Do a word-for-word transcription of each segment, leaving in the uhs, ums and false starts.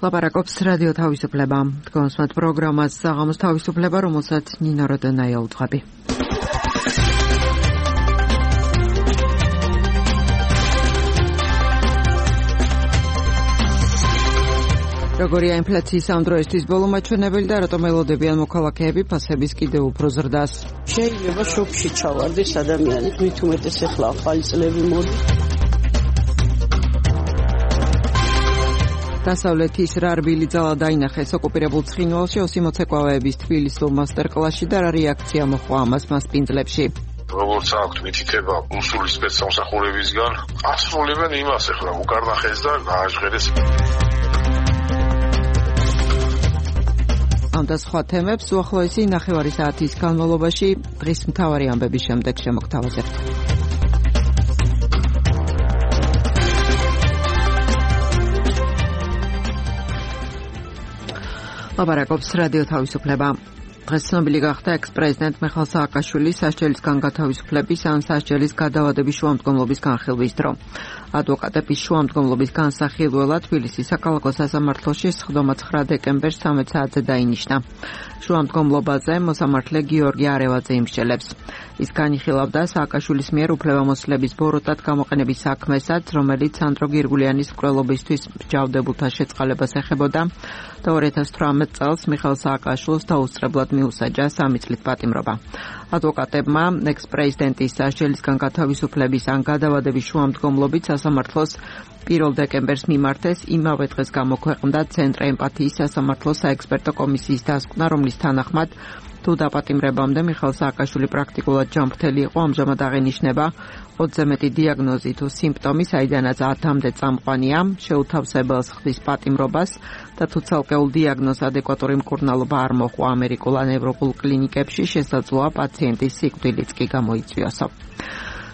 ლაპარაკობს რადიო თავისუფლება. თქვენსმათ პროგრამას საღამოს თავისუფლება, რომელსაც ნინო როდონაია უძღვები. როგორია ინფლაციის ამ დროისთვის ბოლო მაჩვენებელი და რატომ ელოდებიან მოქალაქეები ფასების კიდევ უფრო ზრდას? შეიძლება შოკში ჩავარდეს ადამიანი, მით უმეტეს ახლა ახალი წლები მოდის. დასავლეთის რა რბილი ძალა დაინახეს ოკუპირებულ ცხინვალში ოსი მოცეკვავეების თბილისურ მასტერკლასში და რა რეაქცია მოჰყვა ამას მასპინძლებში. როგორც აქვთ მითითება რუსული სპეცსამსახურებისგან, ასრულებენ იმას ახლა უკარნახეს და გააჟღერეს. ამ და სხვა თემებს უახლოესი ნახევარი საათის განმავლობაში დღის მთავარი ამბების შემდეგ შემოგთავაზებთ. ლაპარაკობს რადიო თავისუფლება. დღეს ცნობილი გახდა ექს-პრეზიდენტ მიხეილ სააკაშვილის სასჯელისგან გათავისუფლების ან სასჯელის გადავადების შუამდგომლობის განხილვის დრო. ადვოკატების შუამდგომლობის განსახილველად თბილისის საქალაქო სასამართლოში სხდომა ცხრა დეკემბერს ცამეტ საათზე დაინიშნა. შუამდგომლობაზე მოსამართლე გიორგი არევაძე იმსჯელებს. ის განიხილავდა სააკაშვილის მიერ უფლებამოსილების ბოროტად გამოყენების საქმესაც, რომელიც სანდრო გირგულიანის მკვლელობისთვის მსჯავრდებულთა შეწყალებას ეხებოდა და ორი ათას თვრამეტ წელს მიხეილ სააკაშვილს დაუსწრებლად მიუსაჯა სამი წლით პატიმრობა. ადვოკატებმა ექს-პრეზიდენტის სასჯელისგან გათავისუფლების ან გადავადების შუამდგომლობით სასამართლოს პირველ დეკემბერს მიმართეს იმავე დღეს გამოქვეყნდა ცენტრ ემპათიის სასამართლოს საექსპერტო კომისიის დასკვნა, რომლის თანახმად თუ დაპატიმრებამდე მიხეილ სააკაშვილი პრაქტიკულად ჯანმრთელი იყო, ამჟამად აღენიშნება ოცზე მეტი დიაგნოზი თუ სიმპტომი, საიდანაც ათამდე წამყვანია, შეუთავსებელს ხდის პატიმრობას და თუ ცალკეულ დიაგნოზს ადეკვატური მკურნალობა არ მოჰყვა ამერიკულ ან ევროპულ კლინიკებში, შესაძლოა პაციენტის სიკვდილიც კი გამოიწვიოსო.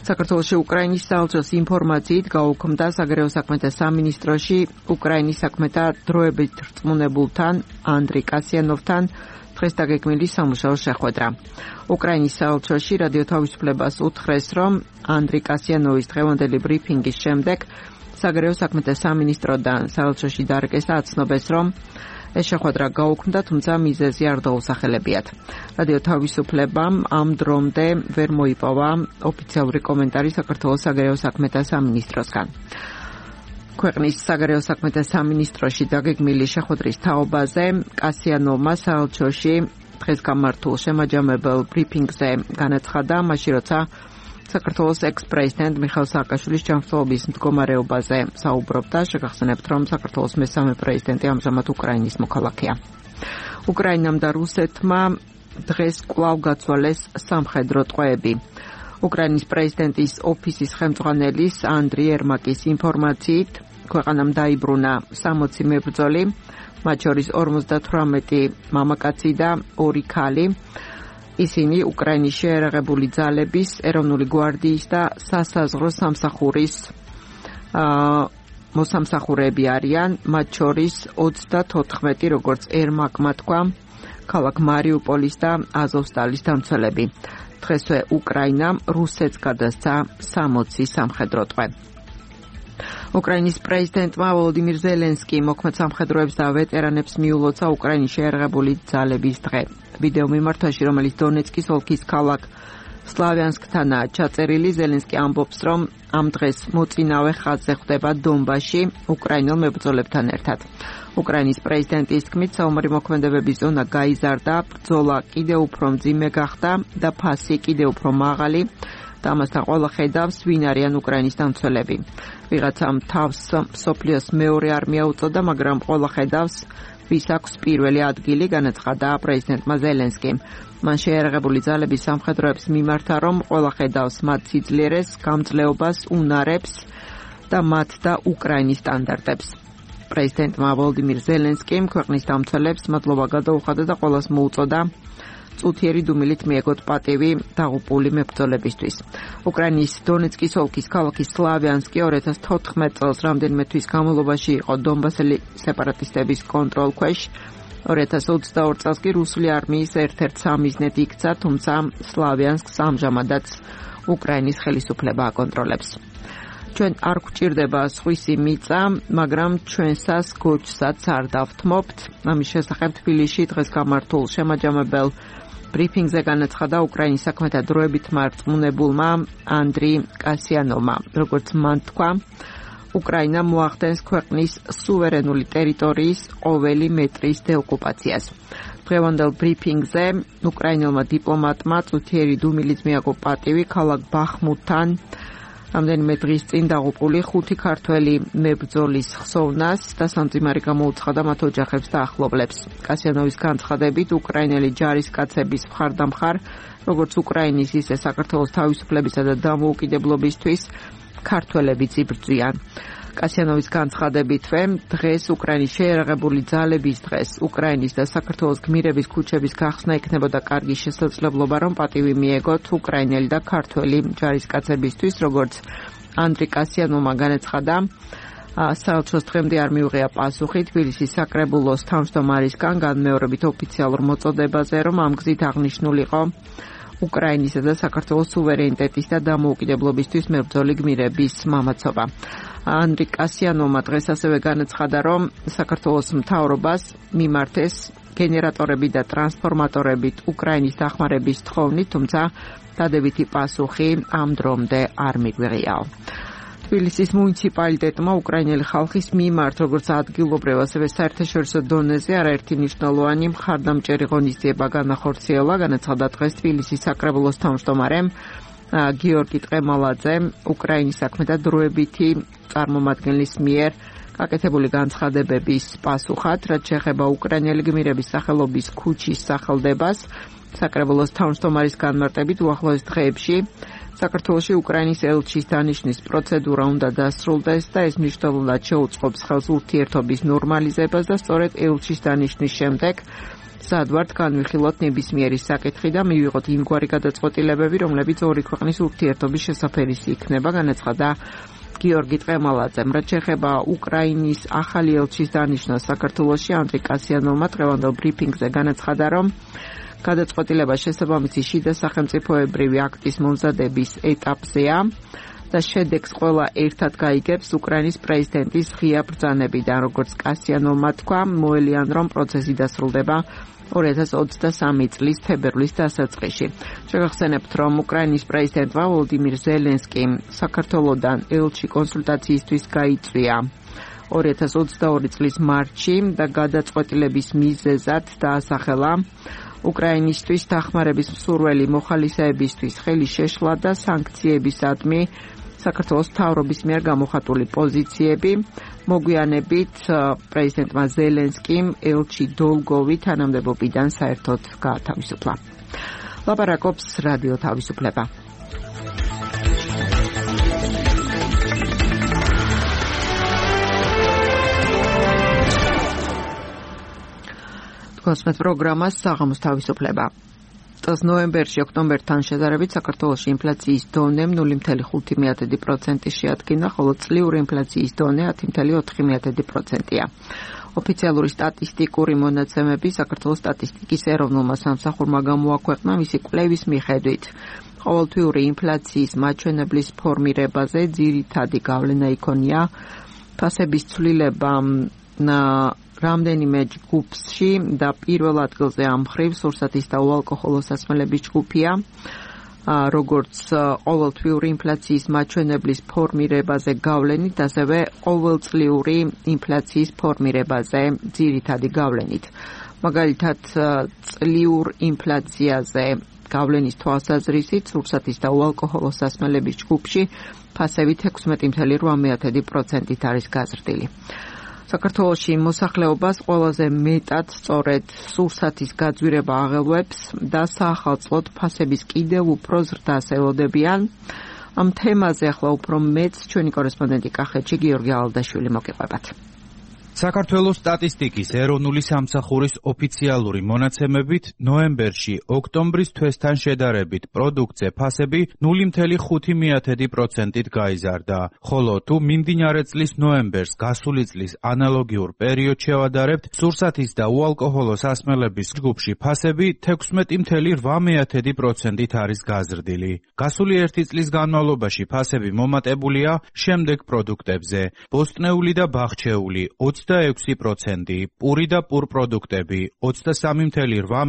საქართველოში უკრაინის საელჩოს ინფორმაციით გაუქმდა საგარეო საქმეთა სამინისტროში უკრაინის საქმეთა დროებით რწმუნებულთან ანდრეი კასიანოვთან დღეს დაგეგმილი სამუშაო შეხვედრა. უკრაინის საელჩოში რადიო თავისუფლებას უთხრეს, რომ ანდრეი კასიანოვის დღევანდელი ბრიფინგის შემდეგ საგარეო საქმეთა სამინისტროდან საელჩოში დარგესა აცნობეს, რომ ეს შეხვედრა გაუქმდა, თუმცა მიზეზი არ დაუსახელებიათ. რადიო თავისუფლებამ ამ დრომდე ვერ მოიპოვა ოფიციალური კომენტარი საქართველოს საგარეო საქმეთა სამინისტროსგან. ქვეყნის საგარეო საქმეთა სამინისტროში დაგეგმილი შეხვედრის თაობაზე კასიანოვმა საელჩოში დღეს გამართულ შემაჯამებელ ბრიფინგზე განაცხადა, მაშინ როცა საქართველოს ექს-პრეზიდენტ მიხეილ სააკაშვილის ჯანმრთელობის მდგომარეობაზე საუბრობდა, შეგახსენებთ, რომ საქართველოს მესამე პრეზიდენტი ამჟამად უკრაინის მოქალაქეა. უკრაინამ და რუსეთმა დღეს კვლავ გაცვალეს სამხედრო ტყვეები. უკრაინის პრეზიდენტის ოფისის ხელმძღვანელის ანდრიი ერმაკის ინფორმაციით, ქვეყანამ დაიბრუნა სამოცი მებრძოლი, მათ შორის ორმოცდათვრამეტი მამაკაცი და ორი ქალი. ისინი უკრაინის შეერაღებული ძალების, ეროვნული გვარდიის და სასაზღვრო სამსახურის მოსამსახურეები არიან, მათ შორის ოცდათოთხმეტი, როგორც ერმაკმა თქვა, ქალაქ მარიუპოლის და აზოვსტალის დამცველები. დღესვე უკრაინამ რუსეთს გადასცა სამოცი სამხედრო ტყვე. უკრაინის პრეზიდენტმა ვოლოდიმირ ზელენსკიმ მოქმედ სამხედროებს და ვეტერანებს მიულოცა უკრაინის შეერაღებული ძალების დღე. ვიდეო მიმართვაში, რომელიც დონეცკის ოლქის ქალაქ სლავიანსკთანაა ჩაწერილი, ზელენსკი ამბობს, რომ ამ დღეს მოწინავე ხაზზე ხვდება დონბასში უკრაინელ მებრძოლებთან ერთად. უკრაინის პრეზიდენტის თქმით, საომარი მოქმედებების ზონა გაიზარდა, ბრძოლა კიდევ უფრო მძიმე გახდა და ფასი კიდევ უფრო მაღალი და ამასთან ყველა ხედავს, ვინ არიან უკრაინის დამცველები. ვიღაცამ თავს მსოფლიოს მეორე არმია უწოდა, მაგრამ ყველა ხედავს, ვის აქვს პირველი ადგილი, განაცხადა პრეზიდენტმა ზელენსკიმ. მან შეერაღებული ძალების სამხედროებს მიმართა, რომ ყველა ხედავს მათ სიძლიერეს, გამძლეობას, უნარებს და მათ და უკრაინის სტანდარტებს. პრეზიდენტმა ვოლოდიმირ ზელენსკიმ ქვეყნის დამცველებს მადლობა გადაუხადა და ყველას მოუწოდა წუთიერი დუმილით მიეგოთ პატივი დაღუპული მებრძოლებისთვის. უკრაინის დონეცკის ოლქის ქალაქი სლავიანსკი ორი ათას თოთხმეტ წელს რამდენიმე თვის განმავლობაში იყო დონბასელი სეპარატისტების კონტროლქვეშ. ორი ათას ოცდაორ წელს კი რუსული არმიის ერთ-ერთ სამიზნედ იქცა, თუმცა სლავიანსკს ამჟამადაც უკრაინის ხელისუფლება აკონტროლებს. ჩვენ არ გვჭირდება სხვისი მიწა, მაგრამ ჩვენსას გოჩსაც არ დავთმობთ. ამის შესახებ თბილისში დღეს გამართულ შემაჯამებელ ბრიფინგზე განაცხადა უკრაინის საქმეთა დროებით მარწმუნებულმა ანდრი კასიანოვმა. როგორც მან თქვა, უკრაინა მოახდენს ქვეყნის სუვერენული ტერიტორიის ყოველი მეტრის დეოკუპაციას. დღევანდელ ბრიფინგზე უკრაინელმა დიპლომატმა წუთიერი დუმილიც მიაგო პატივი ქალაქ ბახმუთთან რამდენიმე დღის წინ დაღუპული ხუთი ქართველი მებრძოლის ხსოვნას და სამძიმარი გამოუცხადა მათ ოჯახებს და ახლობლებს. კასიანოვის განცხადებით, უკრაინელი ჯარისკაცების მხარდამხარ, როგორც უკრაინის, ისე საქართველოს თავისუფლებისა და დამოუკიდებლობისთვის ქართველებიც იბრძვიან. კასიანოვის განცხადებითვე, დღეს უკრაინის შეიარაღებული ძალების დღეს უკრაინის და საქართველოს გმირების ქუჩების გახსნა იქნებოდა კარგი შესაძლებლობა, რომ პატივი მიეგოთ უკრაინელი და ქართველი ჯარისკაცებისთვის, როგორც ანდრი კასიანოვმა განაცხადა. საელჩოს დღემდე არ მიუღია პასუხი თბილისის საკრებულოს თავმჯდომარისგან განმეორებით ოფიციალურ მოწოდებაზე, რომ ამ გზით აღნიშნულიყო უკრაინისა და საქართველოს სუვერენიტეტის და დამოუკიდებლობისთვის მებრძოლი გმირების მამაცობა. ანდრი კასიანოვმა დღეს ასევე განაცხადა, რომ საქართველოს მთავრობას მიმართეს გენერატორები და ტრანსფორმატორებით უკრაინის დახმარების თხოვნით, თუმცა დადებითი პასუხი ამ დრომდე არ მიგვიღიაო. თბილისის მუნიციპალიტეტმა უკრაინელი ხალხის მიმართ, როგორც ადგილობრივ, ასევე საერთაშორისო დონეზე არაერთი მნიშვნელოვანი მხარდამჭერი ღონისძიება განახორციელა, განაცხადა დღეს თბილისის საკრებულოს თავმჯდომარემ გიორგი ტყემალაძე უკრაინის საქმეთა დროებითი წარმომადგენლის მიერ გაკეთებული განცხადებების პასუხად, რაც შეეხება უკრაინელი გმირების სახელობის ქუჩის სახელდებას. საკრებულოს თავმჯდომარის განმარტებით უახლოეს დღეებში საქართველოში უკრაინის ელჩის დანიშნვის პროცედურა უნდა დასრულდეს და ეს მნიშვნელოვნად შეუწყობს ხელს ურთიერთობის ნორმალიზებას და სწორედ ელჩის დანიშნვის შემდეგ სადვართ განვიხილოთ ნებისმიერი საკითხი და მივიღოთ იმგვარი გადაწყვეტილებები, რომლებიც ორი ქვეყნის ურთიერთობის შესაფერისი იქნება, განაცხადა გიორგი ტყემალაძემ. რაც შეეხება უკრაინის ახალი ელჩის დანიშნვას საქართველოში, ანდრი კასიანოვმა დღევანდელ ბრიფინგზე განაცხადა, რომ გადაწყვეტილება შესაბამისი შიდა სახელმწიფოებრივი აქტის მომზადების ეტაპზეა და შედეგს ყველა ერთად გაიგებს უკრაინის პრეზიდენტის ღია ბრძანებიდან. როგორც კასიანოვმა თქვა, მოელიან, რომ პროცესი დასრულდება ორი ათას ოცდასამი წლის თებერვლის დასაწყისში. შეგახსენებთ, რომ უკრაინის პრეზიდენტმა ვოლოდიმირ ზელენსკიმ საქართველოდან ელჩი კონსულტაციისთვის გაიწვია ორი ათას ოცდაორი წლის მარტში და გადაწყვეტილების მიზეზად დაასახელა უკრაინისთვის დახმარების მსურველი მოხალისეებისთვის ხელი შეშლა და სანქციებისადმი საქართველოს მთავრობის მიერ გამოხატული პოზიციები. მოგვიანებით პრეზიდენტმა ზელენსკიმ ელჩი დოლგოვი თანამდებობიდან საერთოდ გაათავისუფლა. ლაპარაკობს რადიო თავისუფლება. კოსმეთ პროგრამას საღამოს თავისუფლება. წელს ნოემბერში ოქტომბერთან შედარებით საქართველოში ინფლაციის დონე ნული ფاصლე ხუთი პროცენტი შეადგინა, ხოლო წლიური ინფლაციის დონე ათი ფაصლე ოთხი პროცენტია. ოფიციალური სტატისტიკური მონაცემები საქართველოს სტატისტიკის ეროვნულმა სამსახურმა გამოაქვეყნა მისი კვლევის მიხედვით. ყოველთვიური ინფლაციის მაჩვენებლის ფორმირებაზე ძირითადი გავლენა იქონია ფასების ცვლილება რამდენიმე ჯგუფში და პირველ ადგილზე ამ მხრივ სურსათის და უალკოჰოლო სასმელების ჯგუფია. როგორც ყოველთვიური ინფლაციის მაჩვენებლის ფორმირებაზე გავლენით, ასევე ყოველწლიური ინფლაციის ფორმირებაზე ძირითადი გავლენით. მაგალითად, წლიურ ინფლაციაზე გავლენის თვალსაზრისით სურსათის და უალკოჰოლო სასმელების ჯგუფში ფასები ექვსმეტი ფაصლე რვა პროცენტით არის გაზრდილი. საქართველოში მოსახლეობას ყველაზე მეტად სწორედ სურსათის გაძვირება აღელვებს და საახალწლოდ ფასების კიდევ უფრო ზრდას ელოდებიან. ამ თემაზე ახლა უფრო მეც ჩვენი კორესპონდენტი კახეთში გიორგი ალდაშვილი მოგიყვებათ. საქართველოს სტატისტიკის ეროვნული სამსახურის ოფიციალური მონაცემებით ნოემბერში ოქტომბრის თვესთან შედარებით პროდუქტზე ფასები ნული მცდამეტი ხუთი პროცენტით გაიზარდა, ხოლო თუ მიმდინარე წლის ნოემბერს გასული წლის ანალოგიურ პერიოდს შევადარებთ, სურსათის და უალკოჰოლო სასმელების ჯგუფში ფასები თექვსმეტი რვა პროცენტით არის გაზრდილი. გასული ერთი წლის განმავლობაში ფასები მომატებულია შემდეგ პროდუქტებზე: ბოსტნეული და ბაღჩეული ოცდაექვსი პროცენტი, პური და პურ პროდუქტები ოცდასამი რვა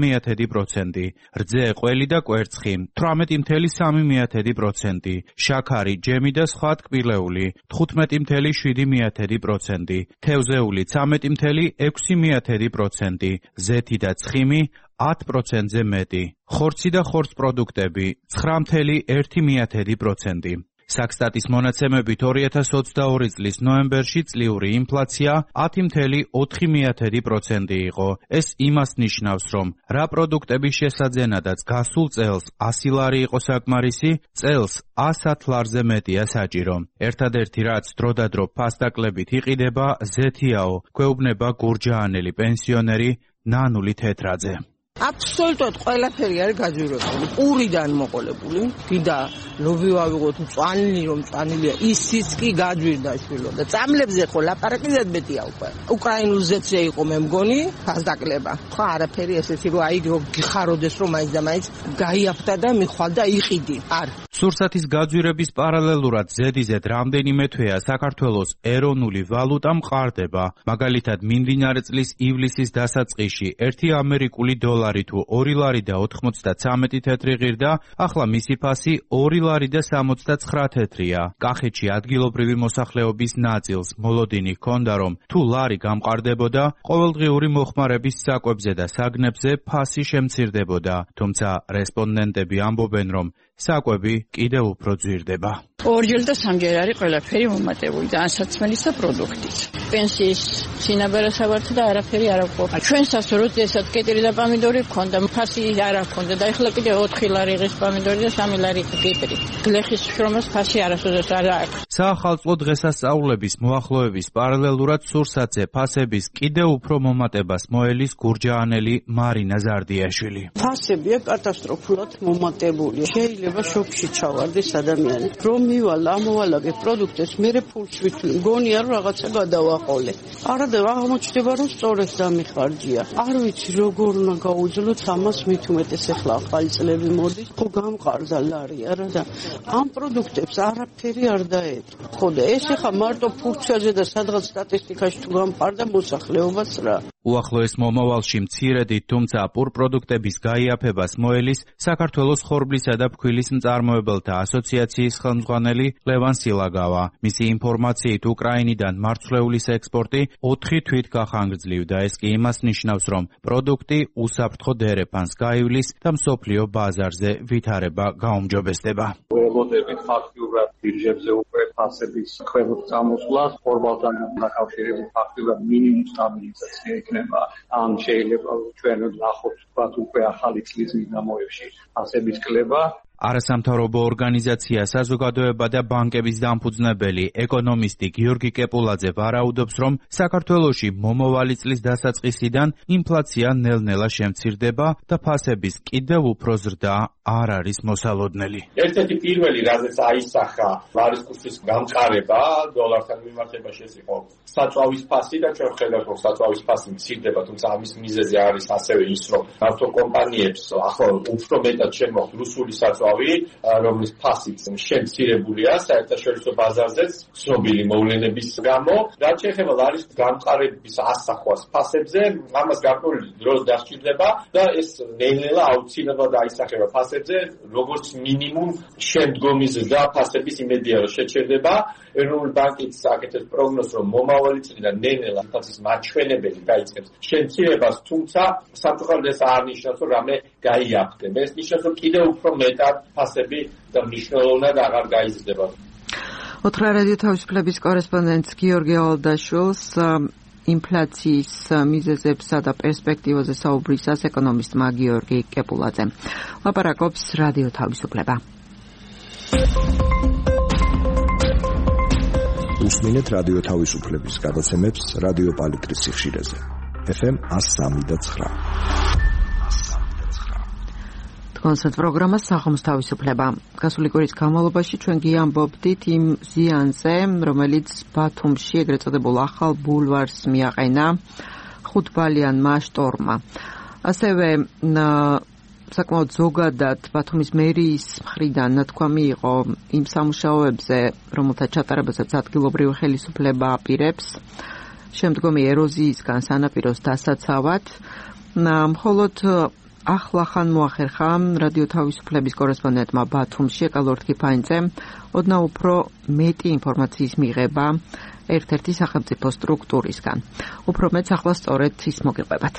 პროცენტი, რძე, ყველი და კვერცხი თვრამეტი სამი პროცენტი, შაქარი, ჯემი და სხვა ტკბილეული თხუთმეტი შვიდი პროცენტი, თევზეული ცამეტი ექვსი პროცენტი, ზეთი და ცხიმი ათ პროცენტზე მეტი, ხორცი და ხორც პროდუქტები ცხრა ერთი პროცენტი. საქსტატის მონაცემებით ორი ათას ოცდაორი წლის ნოემბერში წლიური ინფლაცია ათი ოთხი პროცენტი იყო. ეს იმას ნიშნავს, რომ რა პროდუქტების შესაძენადაც გასულ წელს ასი ლარი იყო საკმარისი, წელს ას ლარზე მეტია საჭირო. ერთადერთი რაც დროდადრო ფასდაკლებით იყიდება ზეთიაო, გვეუბნება გურჯაანელი პენსიონერი ნანული თეთრაძე. აბსოლუტურად ყველაფერი არის გაძვირებული, პურიდან მოყოლებული, კიდე ლობი ვავიღოთ მწვანილი, რომ მწვანილია, ისიც კი გაძვირდა შვილო და წამლებზე ხო ლაპარაკი ზედმეტია უკვე. უკრაინულ ზეთზე იყო მე მგონი ფასდაკლება. ხო არაფერი ესეთი რომ აი გიხაროდეს რომ მაინც და მაინც გაიაფთა და მიხვალ და იყიდი. არ. სურსათის გაძვირების პარალელურად ზედიზედ რამდენიმე თვეა საქართველოს ეროვნული ვალუტა მყარდება. მაგალითად მიმდინარე წლის ივლისის დასაწყისში ერთი ამერიკული დოლარი თუ ორი ლარი და ოთხმოცდაცამეტი თეთრი ღირდა, ახლა მისი ფასი ორი ლარი და სამოცდაცხრა თეთრია. კახეთში ადგილობრივი მოსახლეობის ნაწილს მოლოდინი ჰქონდა, რომ თუ ლარი გამყარდებოდა, ყოველდღიური მოხმარების საკვებზე და საგნებზე ფასი შემცირდებოდა, თუმცა რესპონდენტები ამბობენ, რომ საკვები კიდევ უფრო ძვირდება. ორჯერ და სამჯერ არის ყველაფერი მომატებული და ანსაცმელის და პროდუქტიც. პენსიის სინაბარასავართ და არაფერი არ აქვს. ჩვენსაც როდესაც კეტრი და პამიდორი გქონდა, ფასი არ აქვს და ეხლა კიდე ოთხი ლარი ღირს პამიდორი და სამი ლარი კეტრი. გლეხის შრომას ფასი არასოდეს არ აქვს. საახალწლო დღესასწაულების მოახლოების პარალელურად სურსათზე ფასების კიდევ უფრო მომატებას მოელის გურჯაანელი მარინა ზარდიაშვილი. ფასებია კატასტროფულად მომატებული. შეიძლება შოკში ჩავარდეს ადამიანი. რომ მივალ ამოვალაგე პროდუქტებს, მერე ფულს ვითვლი. მგონია რომ რაღაცა გადავაყოლე. არა და აღმოჩნდება რომ სწორედ დამიხარჯია. არ ვიცი როგორ უნდა გაუძლოთ ამას, მით უმეტეს ახლა ახალი წლები მოდის, ხო გამყარდა ლარი არა და ამ პროდუქტებს არაფერი არ დაეწყო. ხო და ეს ახლა მარტო ფურცლზე და სადღაც სტატისტიკაში თუ გამყარდა მოსახლეობას რა. უახლოეს მომავალში მცირედით, თუმცა პურ პროდუქტების გაიაფებას მოელის საქართველოს ხორბლისა და ფქვილის მწარმოებელთა ასოციაციის ხელმძღვანელი ლევან სილაგავა. მისი ინფორმაციით უკრაინიდან მარცვლეულის ექსპორტი ოთხი თვით გახანგრძლივდა. ეს კი იმას ნიშნავს, რომ პროდუქტი უსაფრთხო დერეფანს გაივლის და მსოფლიო ბაზარზე ვითარება გაუმჯობესდება. ველოდებით ფაქტიურად ბირჟებზე უკვე ფასების ქვემოთ წამოსვლას, ხორბალთან დაკავშირებით ფაქტიურად მინიმუმ სტაბილიზაცია იქნება. ან შეიძლება ჩვენ ნახოთ ვთქვათ უკვე ახალი წლის მიდამოებში ფასების კლება. არასამთავრობო ორგანიზაცია საზოგადოება და ბანკების დამფუძნებელი ეკონომისტი გიორგი კეპულაძე ვარაუდობს, რომ საქართველოში მომავალი წლის დასაწყისიდან ინფლაცია ნელ-ნელა შემცირდება და ფასების კიდევ უფრო ზრდა არ არის მოსალოდნელი. ერთ-ერთი პირველი, რაზეც აისახა ლარის კურსის გამყარება დოლართან მიმართებაში ეს იყო საწვავის ფასი და ჩვენ ხედავთ, რომ საწვავის ფასი მცირდება, თუმცა ამის მიზეზი არის ასევე ის, რომ ავტოკომპანიებს ახლა უფრო მეტად შემოხთ რუსული საწვავი, რომლის ფასიც შემცირებულია საერთაშორისო ბაზარზეც ცნობილი მოვლენების გამო. რაც შეეხება ლარის გამყარების ასახვას ფასებზე, ამას გარკვეული დრო დასჭირდება და ეს ნელ-ნელა აუცილებლად აისახება ფასებზე, როგორც მინიმუმ შემდგომი ზრდა ფასების იმედია რომ შეჩერდება. ეროვნული ბანკიც აკეთებს პროგნოზს, რომ მომავალი წლიდან ნელ-ნელა ინფლაციის მაჩვენებელი გაიწყებს შემცირებას, თუმცა სამწუხაროდ ეს არ ნიშნავს, რომ რამე გაიაფრდება. ეს ნიშნავს, რომ კიდევ უფრო მეტად ფასები და მნიშვნელოვნად აღარ გაიზრდება. ოთხრა რადიო თავისუფლების კორესპონდენტ გიორგი ავალდაშვილს ინფლაციის მიზეზებსა და პერსპექტივაზე საუბრისას ეკონომისტმა გიორგი კეპულაძემ ლაპარაკობს რადიო თავისუფლება. მოусმინეთ რადიო თავისუფლების გადაცემებს რადიო პალიტრის სიხშირეზე. ეფ ემ one oh three point nine. კონცერტ პროგრამა საღამოს თავისუფლება. გასული კვირის განმავლობაში ჩვენ გიამბობდით იმ ზიანზე, რომელიც ბათუმში ეგრეთ წოდებულ ახალ ბულვარს მიაყენა ხუთბალიანმა შტორმმა. ასევე საკმაოდ ზოგადად ბათუმის მერიის მხრიდან ნათქვამი იყო იმ სამუშაოებზე, რომელთა ჩატარებასაც ადგილობრივი ხელისუფლება აპირებს შემდგომი ეროზიისგან სანაპიროს დასაცავად. მხოლოდ ახლახან მოახერხა რადიო თავისუფლების კორესპონდენტმა ბათუმში ეკალორთ კიფაინძემ ოდნავ უფრო მეტი ინფორმაციის მიღება ერთ-ერთი სახელმწიფო სტრუქტურისგან. უფრო მეც ახლა სწორედ ის მოგიყვებათ.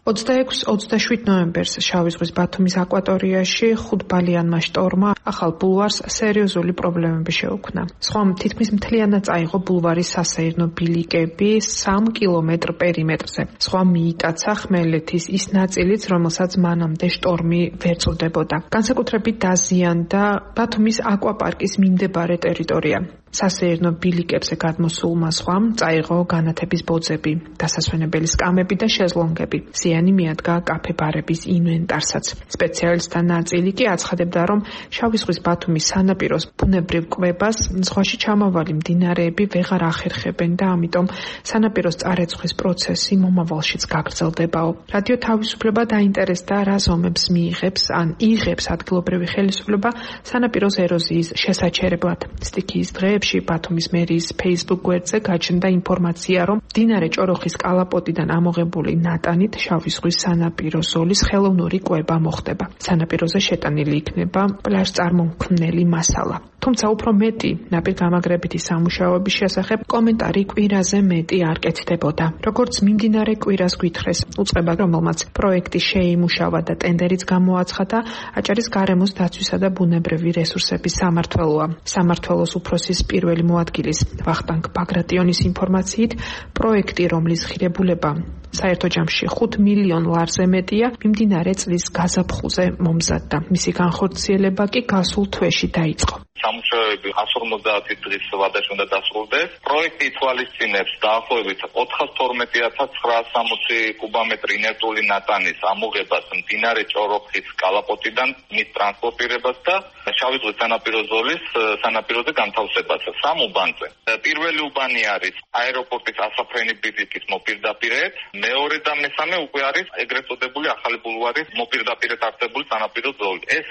ოცდაექვსი ოცდაშვიდ ნოემბერს შავი ზღვის ბათუმის აკვატორიაში ხუთბალიანმა შტორმმა ახალ ბულვარს სერიოზული პრობლემები შეუქმნა. სხვა თითქმის მთლიანად წაიღო ბულვარის სასეირნო ბილიკები სამ კილომეტრ პერიმეტრზე. სხვა მიიტაცა ხმელეთის ის ნაწილიც, რომელსაც მანამდე შტორმი ვერ წვდებოდა. განსაკუთრებით დაზიანდა ბათუმის აკვაპარკის მიმდებარე ტერიტორია. სასეირნო ბილიკებზე გადმოსულმა სხვამ წაიღო განათების ბოძები, დასასვენებელი სკამები და შეზლონგები. ზიანი მიადგა კაფე-ბარების ინვენტარსაც. სპეციალისტთა ნაწილი კი აცხადებდა, რომ შავი ზღვის ბათუმის სანაპიროს ბუნებრივ კვებას ზღვაში ჩამავალი მდინარეები ვეღარ ახერხებენ და ამიტომ სანაპიროს წარეცხვის პროცესი მომავალშიც გაგრძელდებაო. რადიო თავისუფლება დაინტერესდა, რა ზომებს მიიღებს ან იღებს ადგილობრივი ხელისუფლება სანაპიროს ეროზიის შესაჩერებლად. სტიქიის დღეებში ბათუმის მერიის Facebook გვერდზე გაჩნდა ინფორმაცია, რომ მდინარე ჭოროხის კალაპოტიდან ამოღებული ნატანით შავი ზღვის სანაპირო ზოლის ხელოვნური კვება მოხდება. სანაპიროზე შეტანილი იქნება პლაჟწარმომქმნელი მასალა. თუმცა უფრო მეტი ნაპირგამაგრებითი სამუშაოების შესახებ კომენტარი კვირაზე მეტი არ კეთდებოდა. როგორც მიმდინარე კვირას გვითხრეს უწყება, რომელმაც პროექტი შეიმუშავა და ტენდერიც გამოაცხადა, აჭარის გარემოს დაცვისა და ბუნებრივი რესურსების სამმართველოა. სამმართველოს უფროსის პირველი მოადგილის ვახტანგ ბაგრატიონის ინფორმაციით, პროექტი, რომლის ღირებულება საერთო ჯამში ხუთ მილიონ ლარზე მეტია, მიმდინარე წლის გაზაფხულზე მომზადდა. მისი განხორციელება კი გასულ თვეში დაიწყო. სამუშაოები εκατს ორმოცდაათი დღის ვადაში უნდა დასრულდეს. პროექტი ითვალისწინებს დაახლოებით ოთხას თორმეტი ათას ცხრაას სამოცი კუბომეტრი ინერტული ნატანის ამოღებას მდინარე ჭოროხის კალაპოტიდან, მის ტრანსპორტირებას და შავი ზღვის სანაპირო ზოლის სანაპიროზე განთავსებას სამ უბანზე. პირველი უბანი არის აეროპორტის ასაფრენი ბიზიკის მოპირდაპირედ, მეორე და მესამე უკვე არის ეგრეთ წოდებული ახალი ბულვარის მოპირდაპირედ არსებული სანაპირო ზოლი. ეს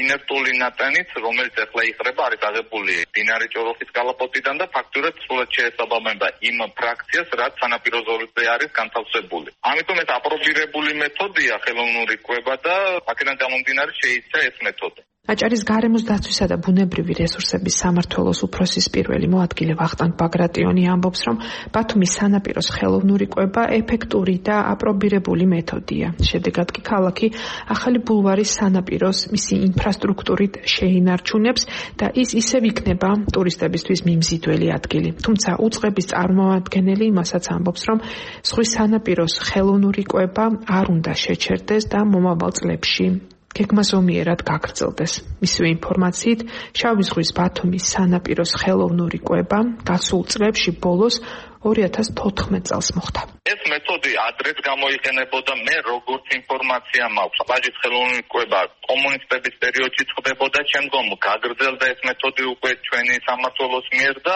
ინერტული ნატანიც, რომელიც ახლა იხრება, არის აღებული მდინარე ჭოროხის კალაპოტიდან და ფაქტურად სრულად შეესაბამება იმ ფრაქციას, რაც სანაპირო ზოლზე არის განთავსებული. ამიტომ ეს აპრობირებული მეთოდია ხელოვნური კვება და აქედან გამომდინარე შეიცა ეს მეთოდი. აჭარის გარემოს დაცვისა და ბუნებრივი რესურსების სამმართველოს უფროსის პირველი მოადგილე ვახტანგ ბაგრატიონი ამბობს, რომ ბათუმის სანაპიროს ხელოვნური კვება ეფექტური და აპრობირებული მეთოდია. შედეგად კი ქალაქი ახალი ბულვარის სანაპიროს მისი ინფრასტრუქტურით შეინარჩუნებს და ის ისევ იქნება ტურისტებისთვის მიმზიდველი ადგილი. თუმცა უწყების წარმომადგენელი იმასაც ამბობს, რომ ზღვის სანაპიროს ხელოვნური კვება არ უნდა შეჩერდეს და მომავალ წლებში გეგმაზომიერად გაგრძელდეს. მისივე ინფორმაციით, შავი ზღვის ბათუმის სანაპიროს ხელოვნური კვება გასულ წლებში ბოლოს ორი ათას თოთხმეტ წელს მოხდა. ეს მეთოდი ადრეც გამოიყენებოდა, მე როგორც ინფორმაცია მაქვს. პლაჟის ხელოვნური კვება კომუნისტების პერიოდში ხდებოდა, შემდგომ გაგრძელდა ეს მეთოდი უკვე ჩვენი სამმართველოს მიერ და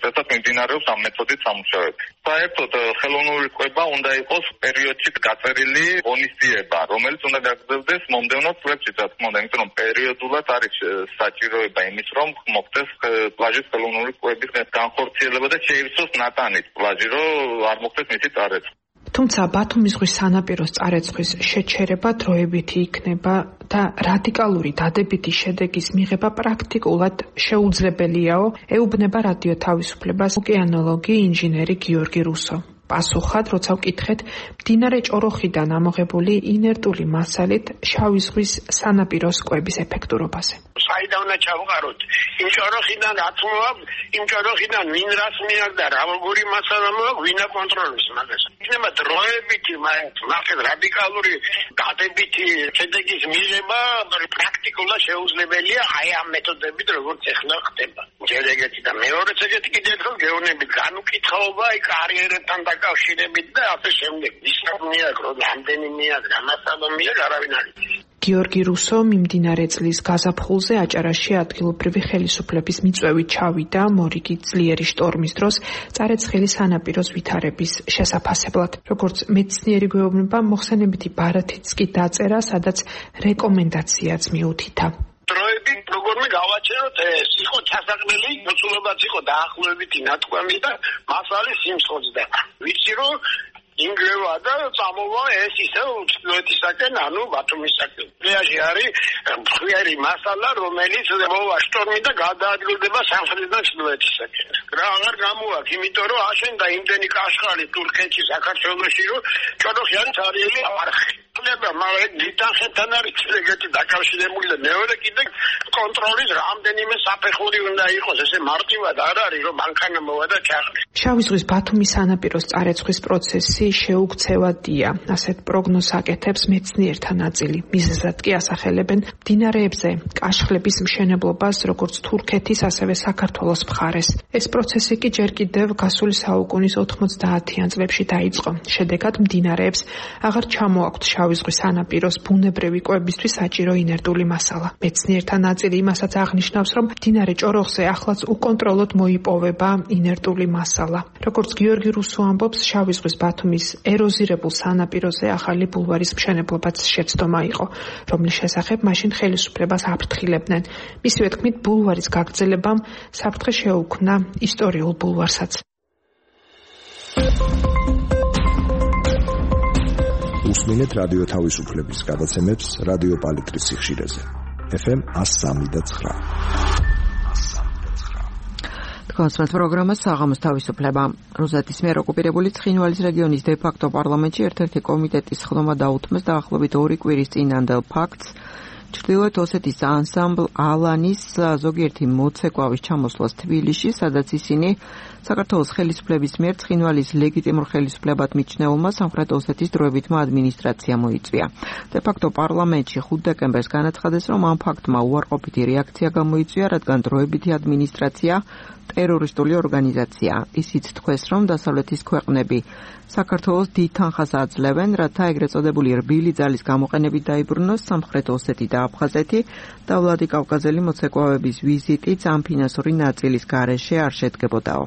რასაც მიმდინარეობს ამ მეთოდით სამუშაოები. საერთოდ ხელოვნური კვება უნდა იყოს პერიოდში გაწერილი ღონისძიება, რომელიც უნდა გაგრძელდეს მომდევნო წლებში, რა თქმა უნდა, იმიტომ რომ პერიოდულად არის საჭიროება იმის, რომ მოხდეს პლაჟის ხელოვნური კვების განხორციელება და შეივსოს ნატანი პლაჟი, რომ არ მოხდეს მისი წარეცხვა. თუმცა ბათუმის ზღვის სანაპიროს წარეცხვის შეჩერება დროებითი იქნება და რადიკალური დადებითი შედეგის მიღება პრაქტიკულად შეუძლებელიაო, ეუბნება რადიო თავისუფლებას ოკეანოლოგი ინჟინერი გიორგი რუსო. პასუხად, როცა ვკითხეთ, მდინარე ჭოროხიდან ამოღებული ინერტული მასალით შავი ზღვის სანაპიროს კვების ეფექტურობაზე. საიდან უნდა ჩავყაროთ? იმ ჭოროხიდან რაც მოაქვს, იმ ჭოროხიდან ვინ რას მიაგდა, რა როგორი მასალა მოაქვს, ვინ აკონტროლებს მაგას. იქნება დროებითი, მაგრამ რადიკალური დადებითი შედეგის მიღება პრაქტიკულად შეუძლებელია აი ამ მეთოდებით, როგორც ეხლა ხდება. ჯერ ეგეთი და მეორეც ეგეთი კიდევ ერთხელ გეუბნებით, განუკითხაობა აი კარიერებთან დაკავშირებით და ასე შემდეგ. ისე მიაგრო, რამდენი მიაგრა, მასალა მიაგრა, არავინ არ იცის. გიორგი რუსო მიმდინარე წლის გაზაფხულზე აჭარაში ადგილობრივი ხელისუფლების მიწვევით ჩავიდა მორიგი ძლიერი შტორმის დროს წარეცხილი სანაპიროს ვითარების შესაფასებლად. როგორც მეცნიერი გვეუბნება, მოხსენებითი ბარათიც კი დაწერა, სადაც რეკომენდაციაც მიუთითა. დროებით როგორმე გავაჩეროთ ეს იყო ჩასაყრელი, მოცულობაც იყო დაახლოებითი ნათქვამი და მასალის სიმსხოძდა. ვიცი რომ ინგრევა და წამოვა ეს ისე უცხოეთისაკენ, ანუ ბათუმისაკენ. რეალში არის მხვიერი მასალა, რომელიც მოვა შტორმი და გადაადგილდება სამხრეთიდან ჩრდილოეთისაკენ. რა აღარ გამოაქვს, იმიტომ რომ აშენდა იმდენი კაშხალი თურქეთში, საქართველოში, რომ ჭოროხი არის არიელი არხი. მაგრამ დიდახეთთან არის ეგეთი დაკავშირებული და მეორე კიდე კონტროლის რამდენიმე საფეხური უნდა იყოს, ესე მარტივად არ არის, რომ მანქანა მოვა და ჩახტი. შავი ზღვის ბათუმის სანაპიროს წარეცხვის პროცესი შეუქცევადია, ასეთ პროგნოზს აკეთებს მეცნიერთა ნაწილი. მიზეზად კი ასახელებენ მდინარეებზე კაშხლების მშენებლობას, როგორც თურქეთის, ასევე საქართველოს მხარეს. ეს პროცესი კი ჯერ კიდევ გასული საუკუნის ოთხმოცდაათიან წლებში დაიწყო. შედეგად მდინარეებს აღარ ჩამოაქვთ შავი ზღვის სანაპიროს ბუნებრივი კვებისთვის საჭირო ინერტული მასალა. მეცნიერთა ნაწილი იმასაც აღნიშნავს, რომ მდინარე ჭოროხზე ახლაც უკონტროლოდ მოიპოვება ინერტული მასალა. როგორც გიორგი რუსო ამბობს, შავი ზღვის ბათუმის ეროზირებულ სანაპიროზე ახალი ბულვარის მშენებლობაც შეცდომა იყო, რომლის შესახებ მაშინ ხელისუფლებას აფრთხილებდნენ. მისივე თქმით, ბულვარის გაგრძელებამ საფრთხე შეუქმნა ისტორიულ ბულვარსაც. უსმინეთ რადიო თავისუფლების გადაცემებს რადიო პალიტრის სიხშირეზე. ეფ ემ one oh three და nine. კონსულტ პროგრამა საღამოს თავისუფლება. რუსეთის მიერ ოკუპირებული ცხინვალის რეგიონის დე-ფაქტო პარლამენტში ერთ-ერთი კომიტეტის ხდომა დაუთმეს დაახლოებით ორი კვირის წინანდელ ფაქტს, ჩრდილოეთ ოსეთის ანსამბლ ალანის ზოგიერთი მოცეკვავის ჩამოსვლას თბილისში, სადაც ისინი საქართველოს ხელისუფლების მიერ ცხინვალის ლეგიტიმურ ხელისუფლებად მიჩნეულმა სამხრეთ ოსეთის დროებითმა ადმინისტრაციამ მოიწვია. დე-ფაქტო პარლამენტში ხუთი დეკემბერს განაცხადეს, რომ ამ ფაქტმა უარყოფითი რეაქცია გამოიწვია, რადგან დროებითი ადმინისტრაცია ტერორისტული ორგანიზაცია. ისიც თქვეს, რომ დასავლეთის ქვეყნები საქართველოს დიდ თანხას აძლევენ, რათა ეგრეთ წოდებული რბილი ძალის გამოყენებით დაიბრუნოს სამხრეთ ოსეთი და აფხაზეთი და ვლადიკავკაზელი მოცეკვავების ვიზიტიც ამ ფინანსური ნაწილის გარეშე არ შედგებოდაო.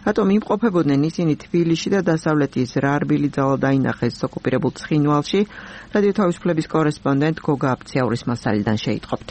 რატომ იმყოფებოდნენ ისინი თბილისში და დასავლეთის რა რბილი ძალა დაინახეს ოკუპირებულ ცხინვალში? რადიო თავისუფლების კორესპონდენტ გოგა აფციაურის მასალიდან შეიტყობთ.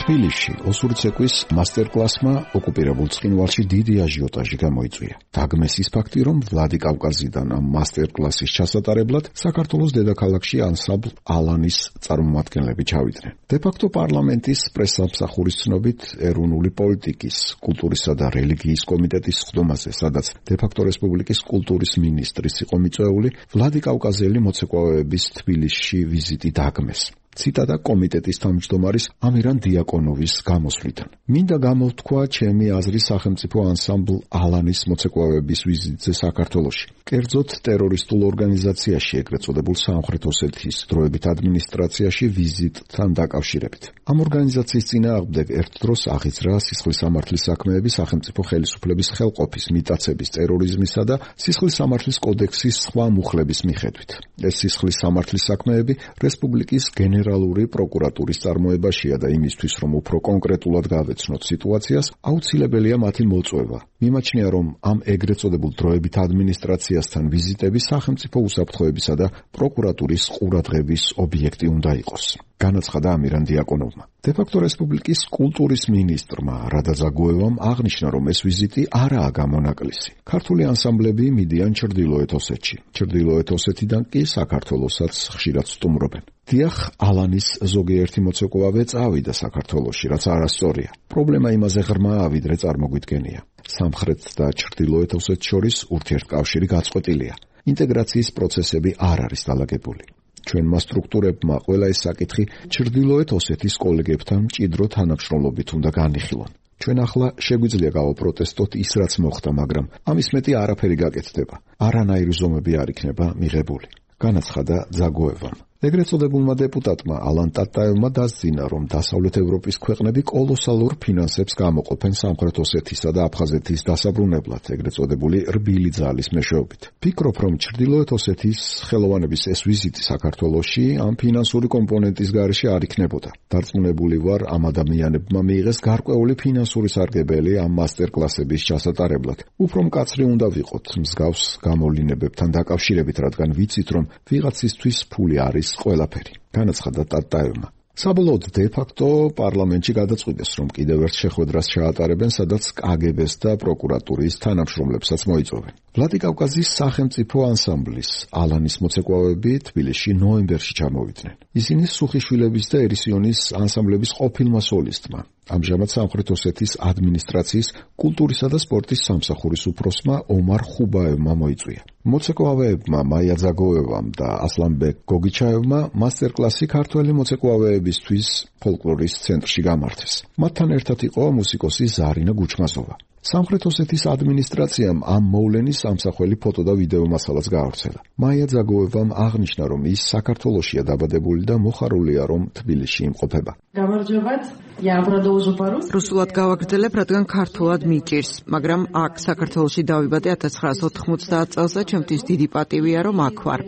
თბილისში ოსური ცეკვის მასტერკლასმა ოკუპირებულ ცხინვალში დიდი აჟიოტაჟი გამოიწვია. დაგმეს ის ფაქტი, რომ ვლადიკავკაზიდან ამ მასტერკლასის ჩასატარებლად საქართველოს დედაქალაქში ანსამბლ ალანის წარმომადგენლები ჩავიდნენ. დე-ფაქტო პარლამენტის პრესსამსახურის ცნობით ეროვნული პოლიტიკის, კულტურისა და რელიგიის კომიტეტის ხდომაზე, სადაც დე-ფაქტო რესპუბლიკის კულტურის მინისტრის იყო მიწვეული, ვლადიკავკაზელი მოცეკვავეების თბილისში ვიზიტი დაგმეს. ციტატა კომიტეტის თავმჯდომარის ამირან დიაკონოვის გამოსვლიდან. მინდა გამოვთქვა ჩემი აზრი სახელმწიფო ანსამბლ ალანის მოცეკვავეების ვიზიტზე საქართველოში. კერძოდ ტერორისტულ ორგანიზაციაში ეგრეთ წოდებულ სამხრეთ ოსეთის დროებით ადმინისტრაციაში ვიზიტთან დაკავშირებით. ამ ორგანიზაციის წინააღმდეგ ერთ დროს აღიძრა სისხლის სამართლის საქმეები სახელმწიფო ხელისუფლების ხელყოფის, მიტაცების, ტერორიზმისა და სისხლის სამართლის კოდექსის სხვა მუხლების მიხედვით. ეს სისხლის სამართლის საქმეები რესპუბლიკის გენერალური პროკურატურის წარმოებაშია და იმისთვის, რომ უფრო კონკრეტულად გავეცნოთ სიტუაციას, აუცილებელია მათი მოწვევა. მიმაჩნია, რომ ამ ეგრეთ წოდებულ დროებით ადმინისტრაციასთან ვიზიტები სახელმწიფო უსაფრთხოებისა და პროკურატურის ყურადღების ობიექტი უნდა იყოს. განაცხადა ამირან დიაკონოვმა. დე-ფაქტო რესპუბლიკის კულტურის მინისტრმა რადა ზაგოევამ აღნიშნა, რომ ეს ვიზიტი არაა გამონაკლისი. ქართული ანსამბლები მიდიან ჩრდილოეთ ოსეთში. ჩრდილოეთ ოსეთიდან კი საქართველოსაც ხშირად სტუმრობენ. დიახ, ალანის ზოგიერთი მოცეკვავე წავიდა საქართველოში, რაც არასწორია. პრობლემა იმაზე ღრმაა, ვიდრე წარმოგვიდგენია. სამხრეთ და ჩრდილოეთ ოსეთს შორის ურთიერთკავშირი გაწყვეტილია. ინტეგრაციის პროცესები არ არის დალაგებული. ჩვენმა სტრუქტურებმა ყველა ეს საკითხი ჩრდილოეთ ოსეთის კოლეგებთან მჭიდრო თანამშრომლობით უნდა განიხილონ. ჩვენ ახლა შეგვიძლია გავაპროტესტოთ ის, რაც მოხდა, მაგრამ ამის მეტი არაფერი გაკეთდება. არანაირი ზომები არ იქნება მიღებული. განაცხადა ძაგოევამ. ეგრეთ წოდებულმა დეპუტატმა ალან ტატაევმა დასძინა, რომ დასავლეთ ევროპის ქვეყნები კოლოსალურ ფინანსებს გამოყოფენ სამხრეთ ოსეთისა და აფხაზეთის დასაბრუნებლად, ეგრეთ წოდებული რბილი ძალის მეშვეობით. ფიქრობ, რომ ჩრდილოეთ ოსეთის ხელოვანების ეს ვიზიტი საქართველოში ამ ფინანსური კომპონენტის გარეშე არ იქნებოდა. დარწმუნებული ვარ, ამ ადამიანებმა მიიღეს გარკვეული ფინანსური სარგებელი ამ მასტერკლასების ჩასატარებლად. უფრო მკაცრი უნდა ვიყოთ მსგავს გამოვლინებებთან დაკავშირებით, რადგან ვიცით, რომ ვიღაცისთვის ფული არის ყველაფერი. განაცხადა ტატაევმა. საბოლოოდ დე-ფაქტო პარლამენტში გადაწყვიტეს, რომ კიდევ ერთ შეხვედრას ჩაატარებენ, სადაც კაგებეს და პროკურატურის თანამშრომლებსაც მოიწვევენ. ვლადიკავკაზის სახელმწიფო ანსამბლის ალანის მოცეკვავები თბილისში ნოემბერში ჩამოვიდნენ. ისინი სუხიშვილების და ერისიონის ანსამბლების ყოფილმა სოლისტმა. ამჟამად სამხრეთ ოსეთის ადმინისტრაციის კულტურისა და სპორტის სამსახურის უფროსმა ომარ ხუბაევმა მოიწვია. მოცეკვავეებმა მაია ძაგოევამ და ასლანბეკ გოგიჩაევმა მასტერკლასი ქართველი მოცეკვავეებისთვის ფოლკლორის ცენტრში გამართეს. მათთან ერთად იყო მუსიკოსი ზარინა გუჩმასოვა. სამხრეთ ოსეთის ადმინისტრაციამ ამ მოვლენის ამსახველი ფოტო და ვიდეო მასალაც გაავრცელა. მაია ძაგოევამ აღნიშნა, რომ ის საქართველოშია დაბადებული და მოხარულია, რომ თბილისში იმყოფება. გამარჯობათ, я продолжу по-русски. რუსულად გავაგრძელებ, რადგან ქართულად მიჭირს, მაგრამ აქ საქართველოში დავიბადე ათას ცხრაასი ოთხმოცდაათ წელს და ჩემთვის დიდი პატივია, რომ აქ ვარ.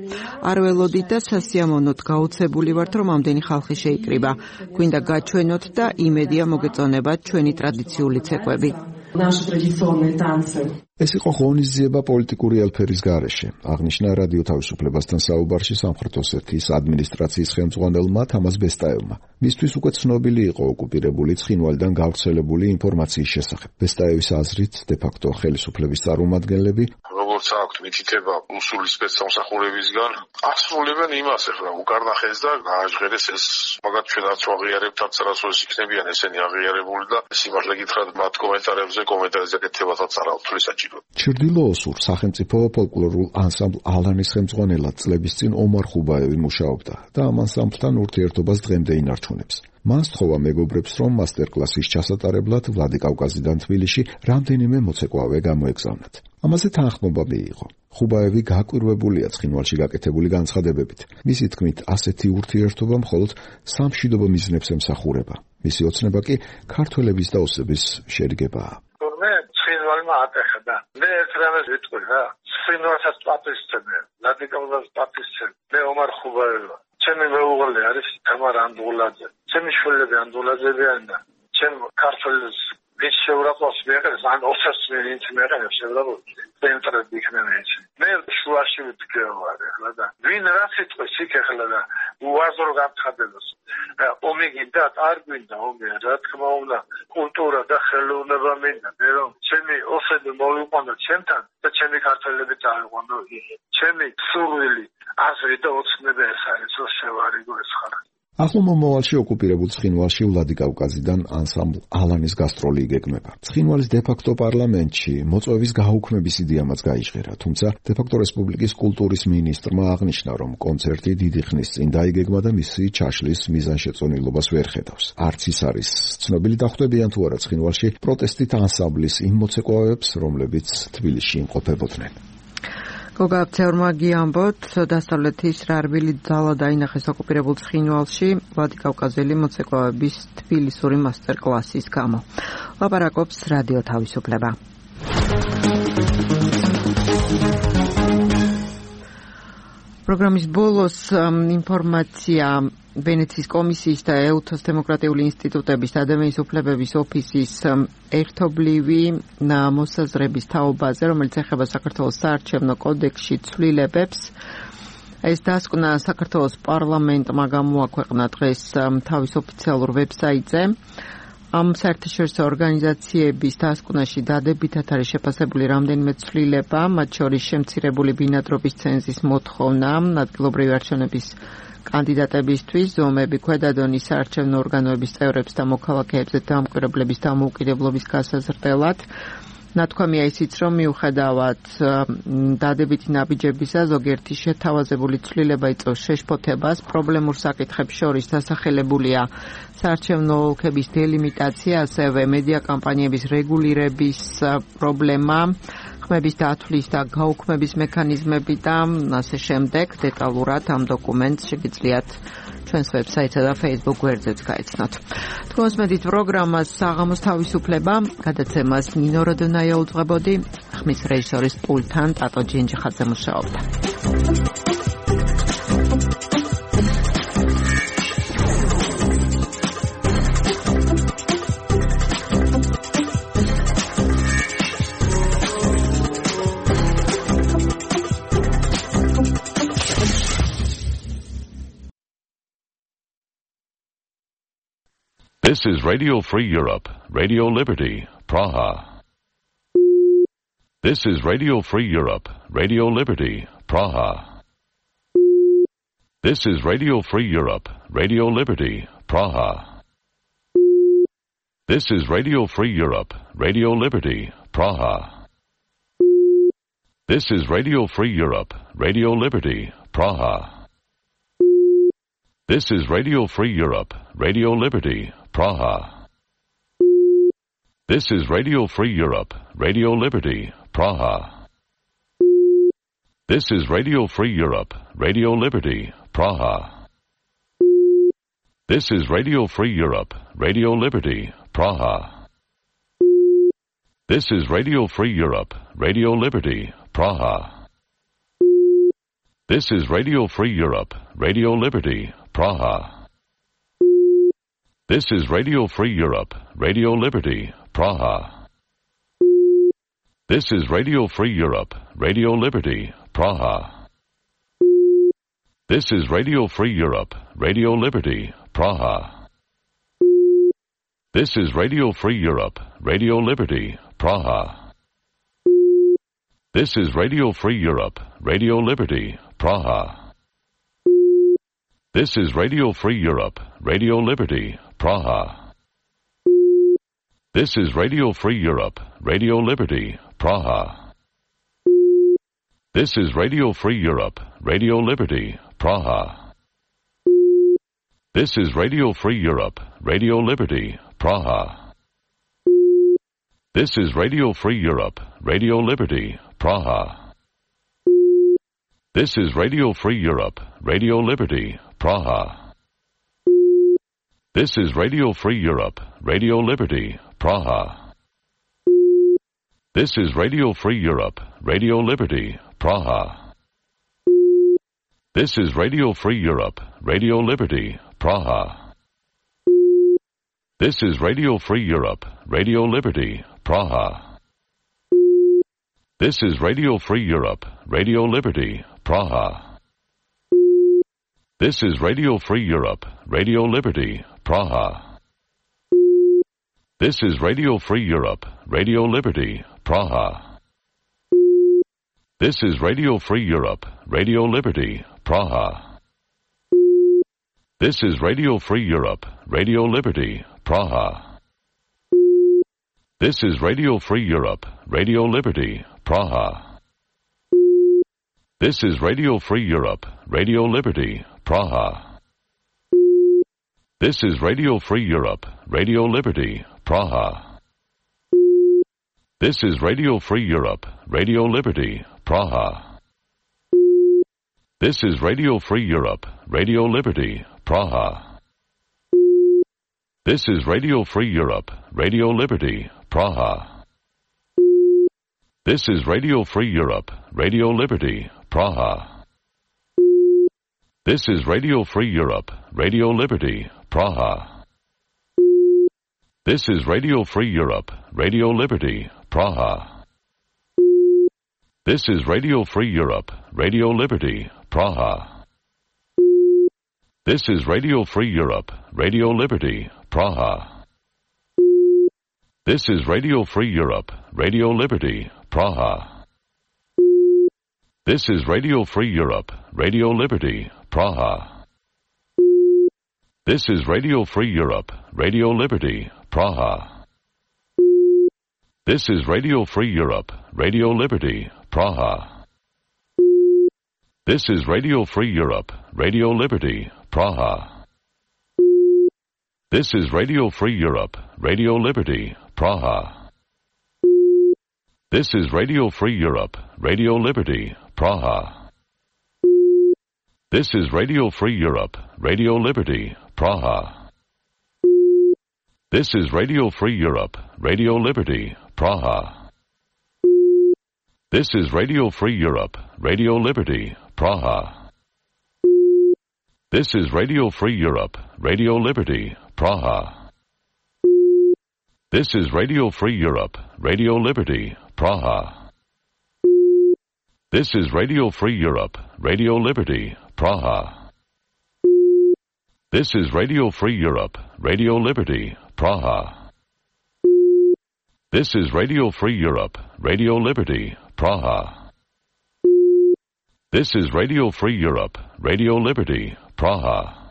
არ ველოდით და სასიამოვნოდ გაუცებული ვართ, რომ ამდენი ხალხი შეიკრიბა. გვინდა გაჩვენოთ და იმედია მოგეწონებათ ჩვენი ტრადიციული ცეკვები. Наши традиционные танцы. ეს იყო ღონისძიება პოლიტიკური ელფერის გარეშე, აღნიშნა რადიო თავისუფლებასთან საუბარში სამხრეთ ოსეთის ადმინისტრაციის ხელმძღვანელმა თამას ბესტაევმა. მისთვის უკვე ცნობილი იყო ოკუპირებული ცხინვალიდან გავრცელებული ინფორმაციის შესახებ. ბესტაევის აზრით, დე-ფაქტო ხელისუფლების წარმომადგენლები როგორც აქვთ მითითება რუსული სპეცსამსახურებისგან, ასრულებენ იმას, ეხლა უკარნახეს და გააჟღერეს ეს, მაგათ ჩვენ არც ვაღიარებთ, არც არასოდეს იქნებიან ესენი აღიარებული და სიმართლე გითხრათ, მათ კომენტარებზე კომენტარებზე გეთებათაც არ ავთვლის საჭირო. ჩრდილოოსურ სახელმწიფო ფოლკლორულ ანსამბლ ალანის ხელმძღვანელად წლების წინ ომარ ხუბაევი მუშაობდა და ამ ანსამბლთან ურთიერთობას დღემდე ინარჩუნებს. მან სთხოვა მეგობრებს, რომ მასტერკლასის ჩასატარებლად ვლადიკავკაზიდან თბილისში რამდენიმე მოცეკვავე გამოეგზავნათ. ამაზე თანხმობა მიიღო. ხუბაევი გაკვირვებულია ცხინვალში გაკეთებული განცხადებებით. მისი თქმით, ასეთი ურთიერთობა მხოლოდ სამშვიდობო მიზნებს ემსახურება. მისი ოცნება კი ქართველების და ოსების შერიგებაა. ცხინვალმა ატეხა. მე ერთ რამეს ვიტყვი რა. ცხინვალსაც პატივისცემენ, ვლადიკავკაზს პატივისცემენ. მე ომარ ხუბაევა. ჩემი მეუღლე არის თამარ ანდღულაძე. ჩემი შვილები ანდღულაძეებიან და ჩემ ქართველს ვინც შეურაცხყოფს მიეყენებს, ან ოსას ვინც მიეყენებს შეურაცხყოფს, ცენტრები იქნება ეს. მე შუაში ვიტყვი ახლა და ვინ რა სიტყვის იქ ახლა და უაზრო გამცხადებას. ომი გინდა, არ გვინდა ომი, რა თქმა უნდა, კულტურა და ხელოვნება მინდა, მე რომ ჩემი ოსები მოვიყვანო ჩემთან და ჩემი ქართველები წავიყვანო. ჩემი სურვილი, აზრი და ოცნება ეს არის, რომ შევარიგო ეს ხალხი. ახლო მომავალში ოკუპირებულ ცხინვალში ვლადიკავკაზიდან ანსამბლ ალანის გასტროლი იგეგმება. ცხინვალის დე-ფაქტო პარლამენტში მოწვევის გაუქმების იდეამაც გაიჟღერა, თუმცა დე-ფაქტო რესპუბლიკის კულტურის მინისტრმა აღნიშნა, რომ კონცერტი დიდი ხნის წინ დაიგეგმა და მისი ჩაშლის მიზანშეწონილობას ვერ ხედავს. არც ის არის ცნობილი დახვდებიან თუ არა ცხინვალში პროტესტით ანსამბლის იმ მოცეკვავეებს, რომლებიც თბილისში იმყოფებოდნენ. გოგაბცევრმა გიამბოთ, დასავლეთის რარბილი ძალა დაინახეს ოკუპირებულ ცხინვალში ვლადიკავკაზელი მოცეკვავების თბილისური მასტერკლასის გამო. ლაპარაკობს რადიო თავისუფლება. პროგრამის ბოლოს ინფორმაცია ვენეციის კომისიის და ეუთოს დემოკრატიული ინსტიტუტების ადამიანის უფლებების ოფისის ერთობლივი მოსაზრების თაობაზე, რომელიც ეხება საქართველოს საარჩევნო კოდექსში ცვლილებებს. ეს დასკვნა საქართველოს პარლამენტმა გამოაქვეყნა დღეს თავის ოფიციალურ ვებსაიტზე. ამ საერთაშორისო ორგანიზაციების დასკვნაში დადებითად არის შეფასებული რამდენიმე ცვლილება, მათ შორის შემცირებული ბინადრობის ცენზის მოთხოვნა, ადგილობრივი არჩევნების კანდიდატებისთვის ზომები ქვედა დონის საარჩევნო ორგანოების წევრებს და მოქალაქეებზე დამკვირვებლების დამოუკიდებლობის გასაზრდელად. ნათქვამია ისიც, რომ მიუხედავად დადებითი ნაბიჯებისა, ზოგიერთი შეთავაზებული ცვლილება იწვევს შეშფოთებას. პრობლემურ საკითხებს შორის დასახელებულია საარჩევნო ოლქების დელიმიტაცია, ასევე მედია კამპანიების რეგულირების პრობლემა, ხმების დათვლის და გაუქმების მექანიზმები და ასე შემდეგ. დეტალურად ამ დოკუმენტს შეგიძლიათ ჩვენს ვებსაიტსა და Facebook გვერდზეც გაიცნოთ. თქვენს მედით პროგრამას საღამოს თავისუფლება, გადაცემას ნინო როდონაია უძღვებოდი, ხმის რეჟისორის პულტთან ტატო ჯინჯიხაძე მუშაობდა. This is Radio Free Europe, Radio Liberty, Praha. This is Radio Free Europe, Radio Liberty, Praha. This is Radio Free Europe, Radio Liberty, Praha. This is Radio Free Europe, Radio Liberty, Praha. This is Radio Free Europe, Radio Liberty, Praha. This is Radio Free Europe, Radio Liberty, Praha. This is Radio Free Europe, Radio Liberty, Praha. This is Radio Free Europe, Radio Liberty, Praha. This is Radio Free Europe, Radio Liberty, Praha. This is Radio Free Europe, Radio Liberty, Praha. This is Radio Free Europe, Radio Liberty, Praha. This is Radio Free Europe, Radio Liberty, Praha. This is Radio Free Europe, Radio Liberty, Praha. This is Radio Free Europe, Radio Liberty, Praha. This is Radio Free Europe, Radio Liberty, Praha. This is Radio Free Europe, Radio Liberty, Praha. This is Radio Free Europe, Radio Liberty, Praha. This is Radio Free Europe, Radio Liberty, Praha. This is Radio Free Europe, Radio Liberty, Praha. This is Radio Free Europe, Radio Liberty, Praha. This is Radio Free Europe, Radio Liberty, Praha. This is Radio Free Europe, Radio Liberty, Praha. This is Radio Free Europe, Radio Liberty, Praha. This is Radio Free Europe, Radio Liberty, Praha. This is Radio Free Europe, Radio Liberty, Praha. This is Radio Free Europe, Radio Liberty, Praha. This is Radio Free Europe, Radio Liberty, Praha. This is Radio Free Europe, Radio Liberty, Praha. This is Radio Free Europe, Radio Liberty, Praha. This is Radio Free Europe, Radio Liberty, Praha. This is Radio Free Europe, Radio Liberty, Praha. This is Radio Free Europe, Radio Liberty, Praha. This is Radio Free Europe, Radio Liberty, Praha. This is Radio Free Europe, Radio Liberty, Praha. This is Radio Free Europe, Radio Liberty, Praha. This is Radio Free Europe, Radio Liberty, Praha. This is Radio Free Europe, Radio Liberty, Praha. This is Radio Free Europe, Radio Liberty, Praha. This is Radio Free Europe, Radio Liberty, Praha. This is Radio Free Europe, Radio Liberty, Praha. This is Radio Free Europe, Radio Liberty, Praha. This is Radio Free Europe, Radio Liberty, Praha. This is Radio Free Europe, Radio Liberty, Praha. This is Radio Free Europe, Radio Liberty, Praha. This is Radio Free Europe, Radio Liberty, Praha. This is Radio Free Europe, Radio Liberty, Praha. This is Radio Free Europe, Radio Liberty, Praha. This is Radio Free Europe, Radio Liberty, Praha. This is Radio Free Europe, Radio Liberty, Praha. This is Radio Free Europe, Radio Liberty, Praha. This is Radio Free Europe, Radio Liberty, Praha. This is Radio Free Europe, Radio Liberty, Praha. This is Radio Free Europe, Radio Liberty, Praha. This is Radio Free Europe, Radio Liberty, Praha. This is Radio Free Europe, Radio Liberty, Praha. This is Radio Free Europe, Radio Liberty, Praha. This is Radio Free Europe, Radio Liberty, Praha. This is Radio Free Europe, Radio Liberty, Praha.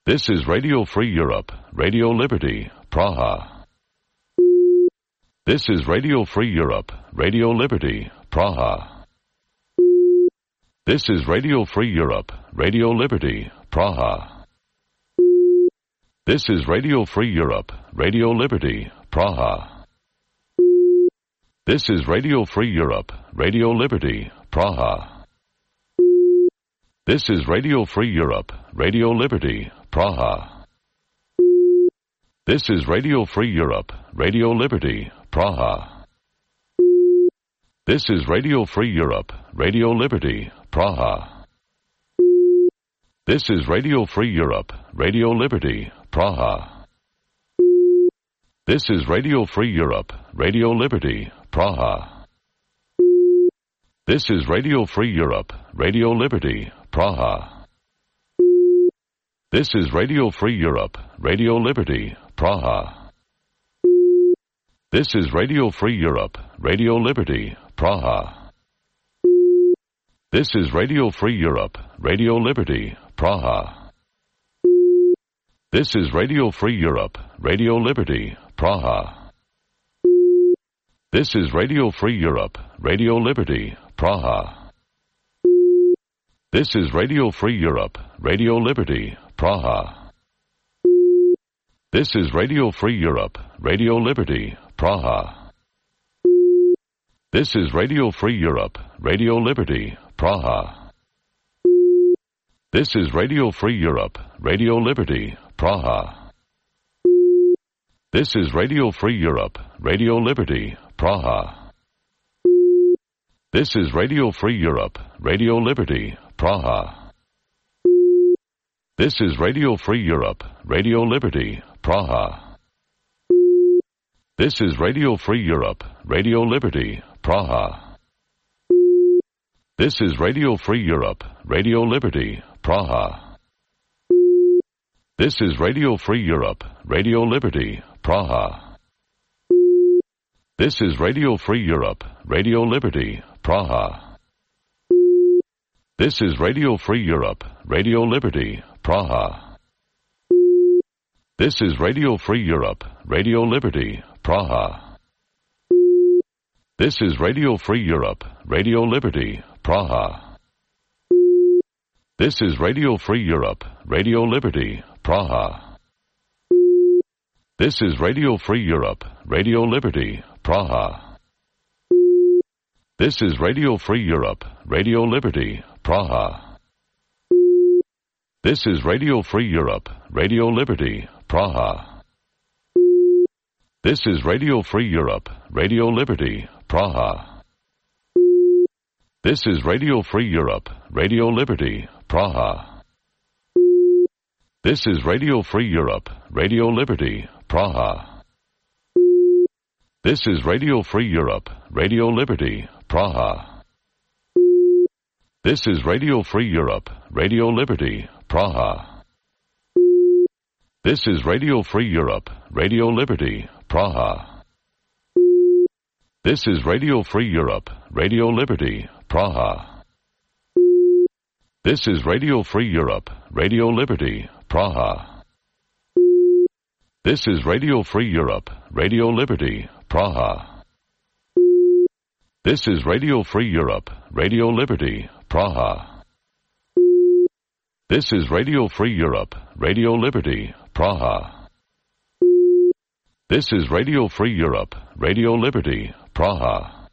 This is Radio Free Europe, Radio Liberty, Praha. This is Radio Free Europe, Radio Liberty, Praha. This is Radio Free Europe, Radio Liberty, Praha. This is Radio Free Europe, Radio Liberty, Praha. This is Radio Free Europe, Radio Liberty, Praha. This is Radio Free Europe, Radio Liberty, Praha. This is Radio Free Europe, Radio Liberty, Praha. This is Radio Free Europe, Radio Liberty, Praha. This is Radio Free Europe, Radio Liberty, Praha. This is Radio Free Europe, Radio Liberty, Praha. This is Radio Free Europe, Radio Liberty, Praha. This is Radio Free Europe, Radio Liberty, Praha. This is Radio Free Europe, Radio Liberty, Praha. This is Radio Free Europe, Radio Liberty, Praha. This is Radio Free Europe, Radio Liberty, Praha. This is Radio Free Europe, Radio Liberty, Praha. This is Radio Free Europe, Radio Liberty, Praha. This is Radio Free Europe, Radio Liberty, Praha. This is Radio Free Europe, Radio Liberty, Praha. This is Radio Free Europe, Radio Liberty, Praha. This is Radio Free Europe, Radio Liberty, Praha. This is Radio Free Europe, Radio Liberty, Praha. This is Radio Free Europe, Radio Liberty, Praha. This is Radio Free Europe, Radio Liberty, Praha. This is Radio Free Europe, Radio Liberty, Praha. This is Radio Free Europe, Radio Liberty, Praha. This is Radio Free Europe, Radio Liberty, Praha. This is Radio Free Europe, Radio Liberty, Praha. This is Radio Free Europe, Radio Liberty, Praha. This is Radio Free Europe, Radio Liberty, Praha. This is Radio Free Europe, Radio Liberty, Praha. This is Radio Free Europe, Radio Liberty, Praha. This is Radio Free Europe, Radio Liberty, Praha. This is Radio Free Europe, Radio Liberty, Praha. This is Radio Free Europe, Radio Liberty, Praha. This is Radio Free Europe, Radio Liberty, Praha. This is Radio Free Europe, Radio Liberty, Praha. This is Radio Free Europe, Radio Liberty, Praha. This is Radio Free Europe, Radio Liberty, Praha. This is Radio Free Europe, Radio Liberty, Praha. This is Radio Free Europe, Radio Liberty, Praha. This is Radio Free Europe, Radio Liberty, Praha. This is Radio Free Europe, Radio Liberty, Praha. This is Radio Free Europe, Radio Liberty, Praha. This is Radio Free Europe, Radio Liberty, Praha. This is Radio Free Europe, Radio Liberty, Praha.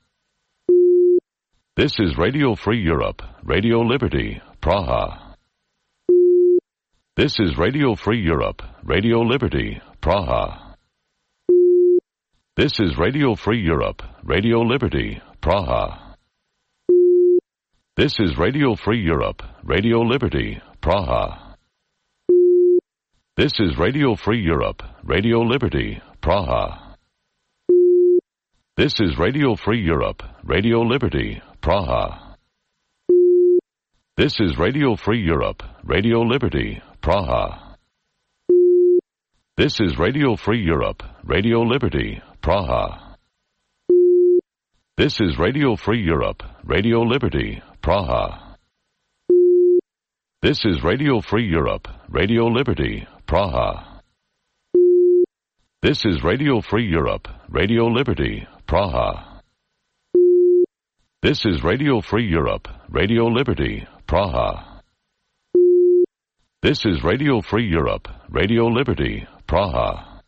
This is Radio Free Europe, Radio Liberty, Praha. This is Radio Free Europe, Radio Liberty, Praha. This is Radio Free Europe, Radio Liberty, Praha. This is Radio Free Europe, Radio Liberty, Praha. This is Radio Free Europe, Radio Liberty, Praha. This is Radio Free Europe, Radio Liberty, Praha. This is Radio Free Europe, Radio Liberty, Praha. This is Radio Free Europe, Radio Liberty, Praha. This is Radio Free Europe, Radio Liberty, Praha. This is Radio Free Europe, Radio Liberty, Praha. This is Radio Free Europe, Radio Liberty, Praha. This is Radio Free Europe, Radio Liberty, Praha. This is Radio Free Europe, Radio Liberty, Praha.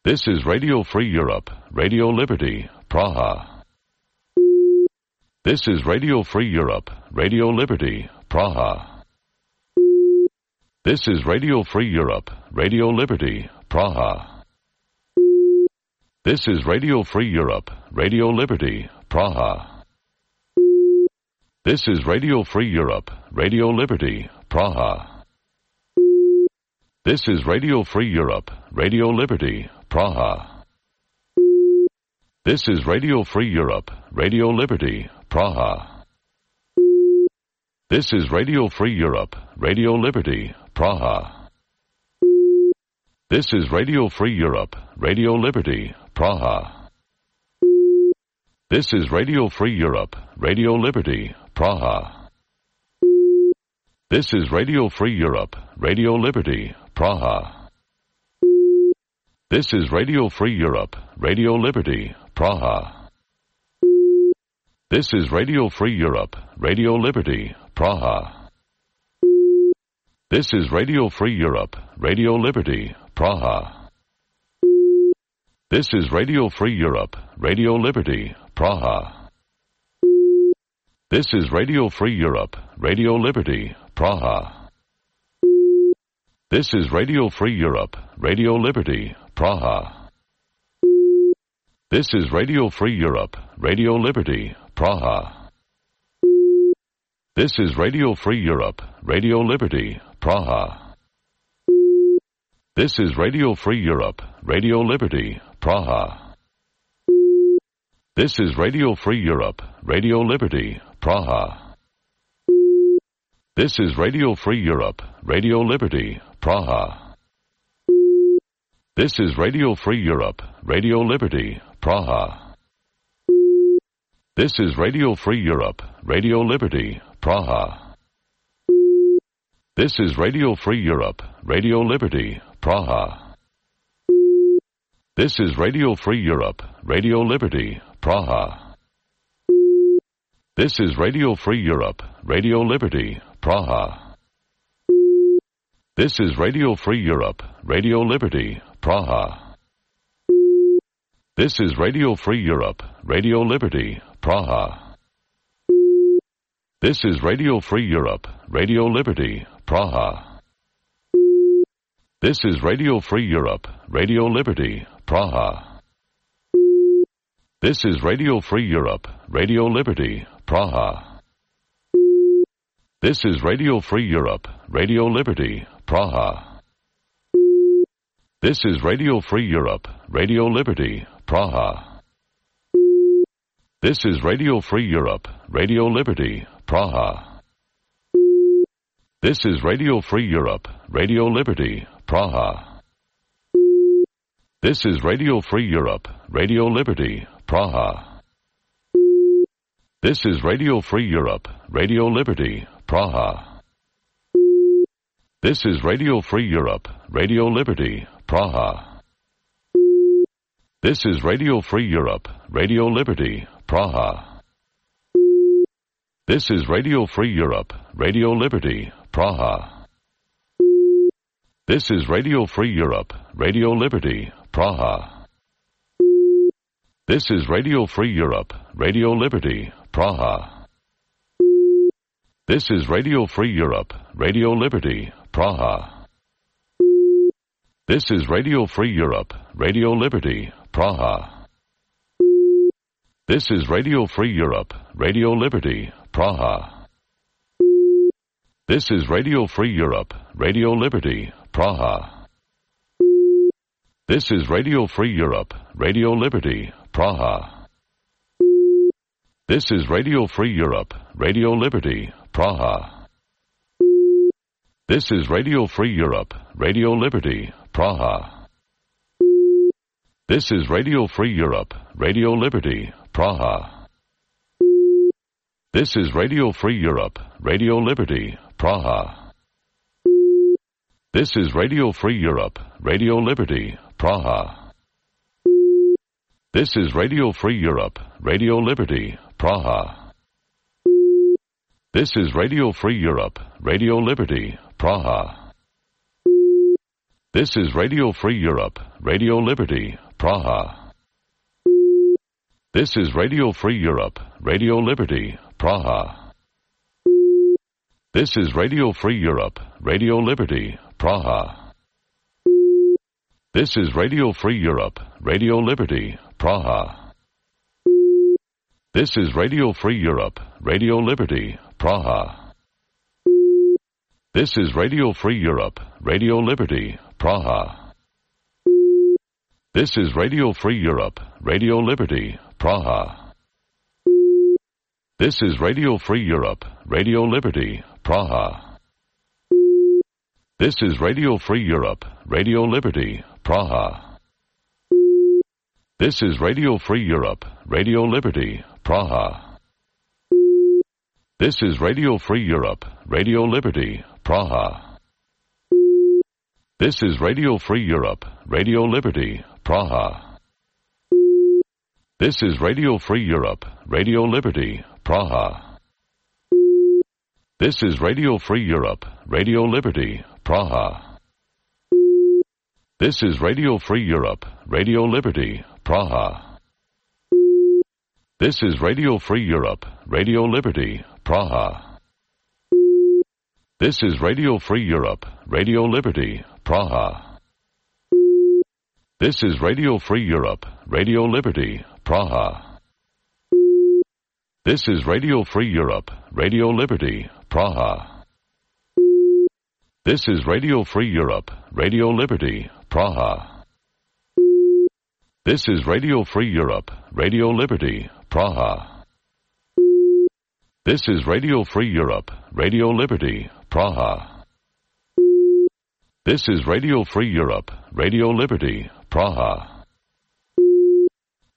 This is Radio Free Europe, Radio Liberty, Praha. This is Radio Free Europe, Radio Liberty, Praha. This is Radio Free Europe, Radio Liberty, Praha. This is Radio Free Europe, Radio Liberty, Praha. This is Radio Free Europe, Radio Liberty, Praha. This is Radio Free Europe, Radio Liberty, Praha. This is Radio Free Europe, Radio Liberty, Praha. This is Radio Free Europe, Radio Liberty, Praha. This is Radio Free Europe, Radio Liberty, Praha. This is Radio Free Europe, Radio Liberty, Praha. This is Radio Free Europe, Radio Liberty, Praha. This is Radio Free Europe, Radio Liberty, Praha. This is Radio Free Europe, Radio Liberty, Praha. This is Radio Free Europe, Radio Liberty, Praha. This is Radio Free Europe, Radio Liberty, Praha. This is Radio Free Europe, Radio Liberty, Praha. This is Radio Free Europe, Radio Liberty, Praha. This is Radio Free Europe, Radio Liberty, Praha. This is Radio Free Europe, Radio Liberty, Praha. This is Radio Free Europe, Radio Liberty, Praha. This is Radio Free Europe, Radio Liberty, Praha. This is Radio Free Europe, Radio Liberty, Praha. This is Radio Free Europe, Radio Liberty, Praha. This is Radio Free Europe, Radio Liberty, Praha. This is Radio Free Europe, Radio Liberty, Praha. This is Radio Free Europe, Radio Liberty, Praha. This is Radio Free Europe, Radio Liberty, Praha. This is Radio Free Europe, Radio Liberty, Praha. This is Radio Free Europe, Radio Liberty, Praha. This is Radio Free Europe, Radio Liberty, Praha. This is Radio Free Europe, Radio Liberty, Praha. This is Radio Free Europe, Radio Liberty, Praha. This is Radio Free Europe, Radio Liberty, Praha. This is Radio Free Europe, Radio Liberty, Praha. This is Radio Free Europe, Radio Liberty, Praha. This is Radio Free Europe, Radio Liberty, Praha. This is Radio Free Europe, Radio Liberty, Praha. This is Radio Free Europe, Radio Liberty, Praha. This is Radio Free Europe, Radio Liberty, Praha. This is Radio Free Europe, Radio Liberty, Praha. This is Radio Free Europe, Radio Liberty, Praha. This is Radio Free Europe, Radio Liberty, Praha. This is Radio Free Europe, Radio Liberty, Praha. This is Radio Free Europe, Radio Liberty, Praha. This is Radio Free Europe, Radio Liberty, Praha. This is Radio Free Europe, Radio Liberty, Praha. This is Radio Free Europe, Radio Liberty, Praha. This is Radio Free Europe, Radio Liberty, Praha. This is Radio Free Europe, Radio Liberty, Praha. This is Radio Free Europe, Radio Liberty, Praha. This is Radio Free Europe, Radio Liberty, Praha. This is Radio Free Europe, Radio Liberty, Praha. This is Radio Free Europe, Radio Liberty, Praha. This is Radio Free Europe, Radio Liberty, Praha. This is Radio Free Europe, Radio Liberty, Praha. This is Radio Free Europe, Radio Liberty, Praha. This is Radio Free Europe, Radio Liberty, Praha. This is Radio Free Europe, Radio Liberty, Praha. This is Radio Free Europe, Radio Liberty, Praha. This is Radio Free Europe, Radio Liberty, Praha. This is Radio Free Europe, Radio Liberty, Praha. This is Radio Free Europe, Radio Liberty, Praha. This is Radio Free Europe, Radio Liberty, Praha. This is Radio Free Europe, Radio Liberty, Praha. This is Radio Free Europe, Radio Liberty, Praha. This is Radio Free Europe, Radio Liberty, Praha. This is Radio Free Europe, Radio Liberty, Praha. This is Radio Free Europe, Radio Liberty, Praha. This is Radio Free Europe, Radio Liberty, Praha. This is Radio Free Europe, Radio Liberty, Praha. This is Radio Free Europe, Radio Liberty, Praha. This is Radio Free Europe, Radio Liberty, Praha. This is Radio Free Europe, Radio Liberty, Praha. This is Radio Free Europe, Radio Liberty, Praha. This is Radio Free Europe, Radio Liberty, Praha. This is Radio Free Europe, Radio Liberty, Praha. This is Radio Free Europe, Radio Liberty, Praha. This is Radio Free Europe, Radio Liberty, Praha.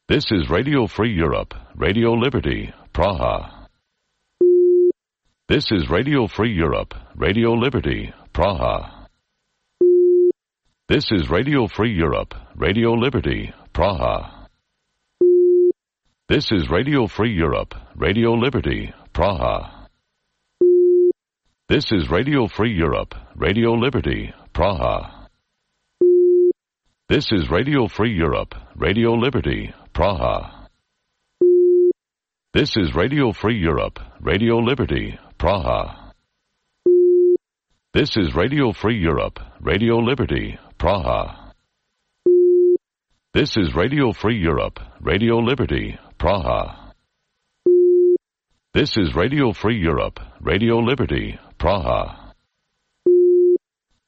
This is Radio Free Europe, Radio Liberty, Praha. This is Radio Free Europe, Radio Liberty, Praha. This is Radio Free Europe, Radio Liberty, Praha. This is Radio Free Europe, Radio Liberty, Praha. This is Radio Free Europe, Radio Liberty, Praha. This is Radio Free Europe, Radio Liberty, Praha. This is Radio Free Europe, Radio Liberty, Praha. This is Radio Free Europe, Radio Liberty, Praha. This is Radio Free Europe, Radio Liberty, Praha. This is Radio Free Europe, Radio Liberty, Praha.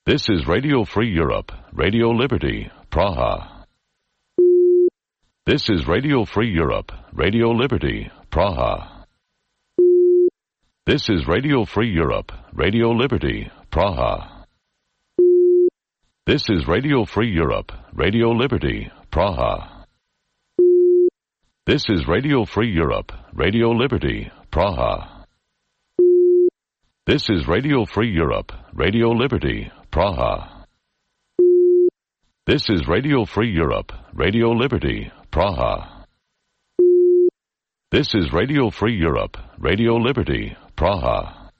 This is Radio Free Europe, Radio Liberty, Praha. This is Radio Free Europe, Radio Liberty, Praha. This is Radio Free Europe, Radio Liberty, Praha. This is Radio Free Europe, Radio Liberty, Praha. This is Radio Free Europe, Radio Liberty, Praha. This is Radio Free Europe, Radio Liberty, Praha. This is Radio Free Europe, Radio Liberty, Praha. This is Radio Free Europe, Radio Liberty, Praha.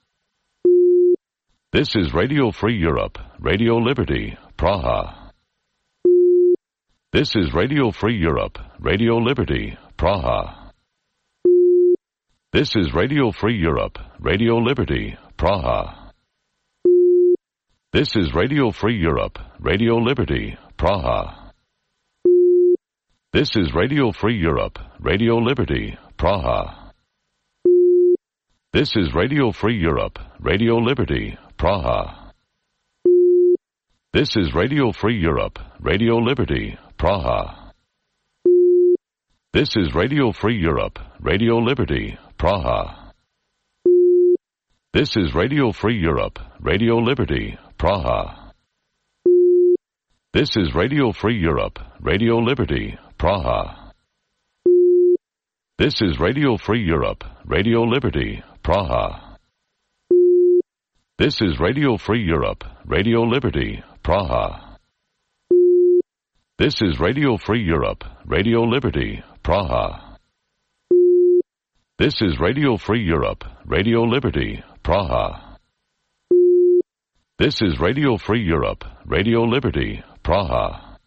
This is Radio Free Europe, Radio Liberty, Praha. This is Radio Free Europe, Radio Liberty, Praha. This is Radio Free Europe, Radio Liberty, Praha. This is Radio Free Europe, Radio Liberty, Praha. This is Radio Free Europe, Radio Liberty, Praha. This is Radio Free Europe, Radio Liberty, Praha. This is Radio Free Europe, Radio Liberty, Praha. This is Radio Free Europe, Radio Liberty, Praha. This is Radio Free Europe, Radio Liberty, Praha. This is Radio Free Europe, Radio Liberty, Praha. This is Radio Free Europe, Radio Liberty, Praha. This is Radio Free Europe, Radio Liberty, Praha. This is Radio Free Europe, Radio Liberty, Praha. This is Radio Free Europe, Radio Liberty, Praha. This is Radio Free Europe, Radio Liberty, Praha.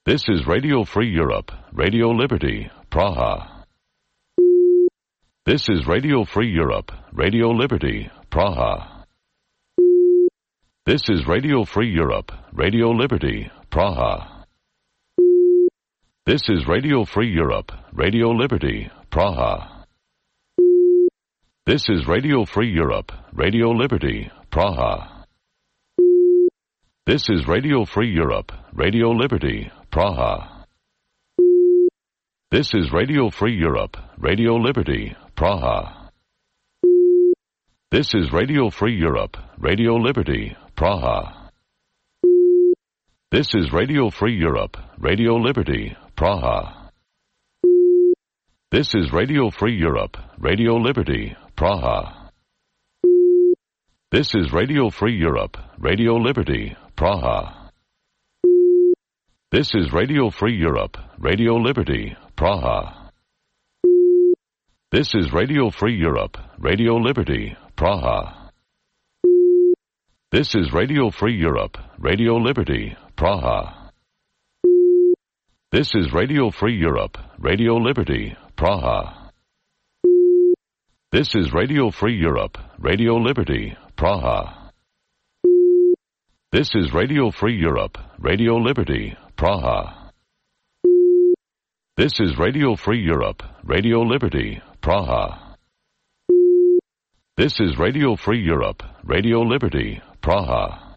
This is Radio Free Europe, Radio Liberty, Praha. This is Radio Free Europe, Radio Liberty, Praha. This is Radio Free Europe, Radio Liberty, Praha. This is Radio Free Europe, Radio Liberty, Praha. This is Radio Free Europe, Radio Liberty, Praha. This is Radio Free Europe, Radio Liberty, Praha. This is Radio Free Europe, Radio Liberty, Praha. This is Radio Free Europe, Radio Liberty, Praha. This is Radio Free Europe, Radio Liberty, Praha. This is Radio Free Europe, Radio Liberty, Praha. This is Radio Free Europe, Radio Liberty, Praha. This is Radio Free Europe, Radio Liberty, Praha. This is Radio Free Europe, Radio Liberty, Praha. This is Radio Free Europe, Radio Liberty, Praha. This is Radio Free Europe, Radio Liberty, Praha. This is Radio Free Europe, Radio Liberty, Praha. This is Radio Free Europe, Radio Liberty, Praha. This is Radio Free Europe, Radio Liberty, Praha. This is Radio Free Europe, Radio Liberty, Praha.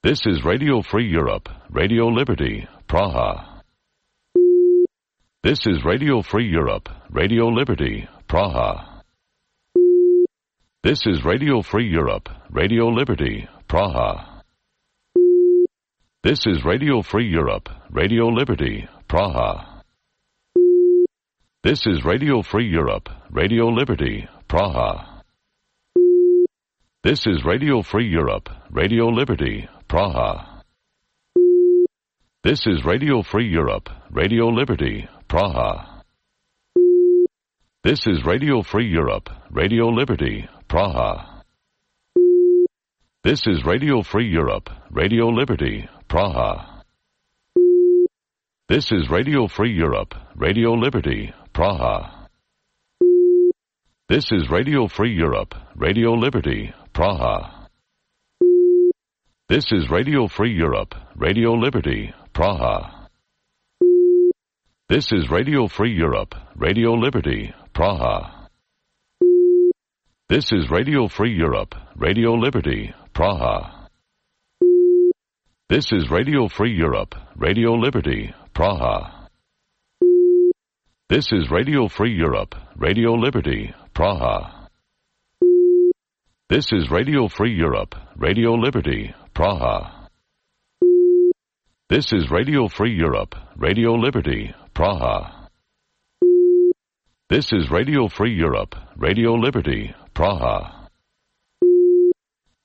This is Radio Free Europe, Radio Liberty, Praha. This is Radio Free Europe, Radio Liberty, Praha. This is Radio Free Europe, Radio Liberty, Praha. This is Radio Free Europe, Radio Liberty, Praha. This is Radio Free Europe, Radio Liberty, Praha. This is Radio Free Europe, Radio Liberty, Praha. This is Radio Free Europe, Radio Liberty, Praha. This is Radio Free Europe, Radio Liberty, Praha. This is Radio Free Europe, Radio Liberty, Praha. This is Radio Free Europe, Radio Liberty, Praha. This is Radio Free Europe, Radio Liberty, Praha. This is Radio Free Europe, Radio Liberty, Praha. This is Radio Free Europe, Radio Liberty, Praha. This is Radio Free Europe, Radio Liberty, Praha. This is Radio Free Europe, Radio Liberty, Praha. This is Radio Free Europe, Radio Liberty, Praha. This is Radio Free Europe, Radio Liberty, Praha. This is Radio Free Europe, Radio Liberty, Praha. This is Radio Free Europe, Radio Liberty, Praha.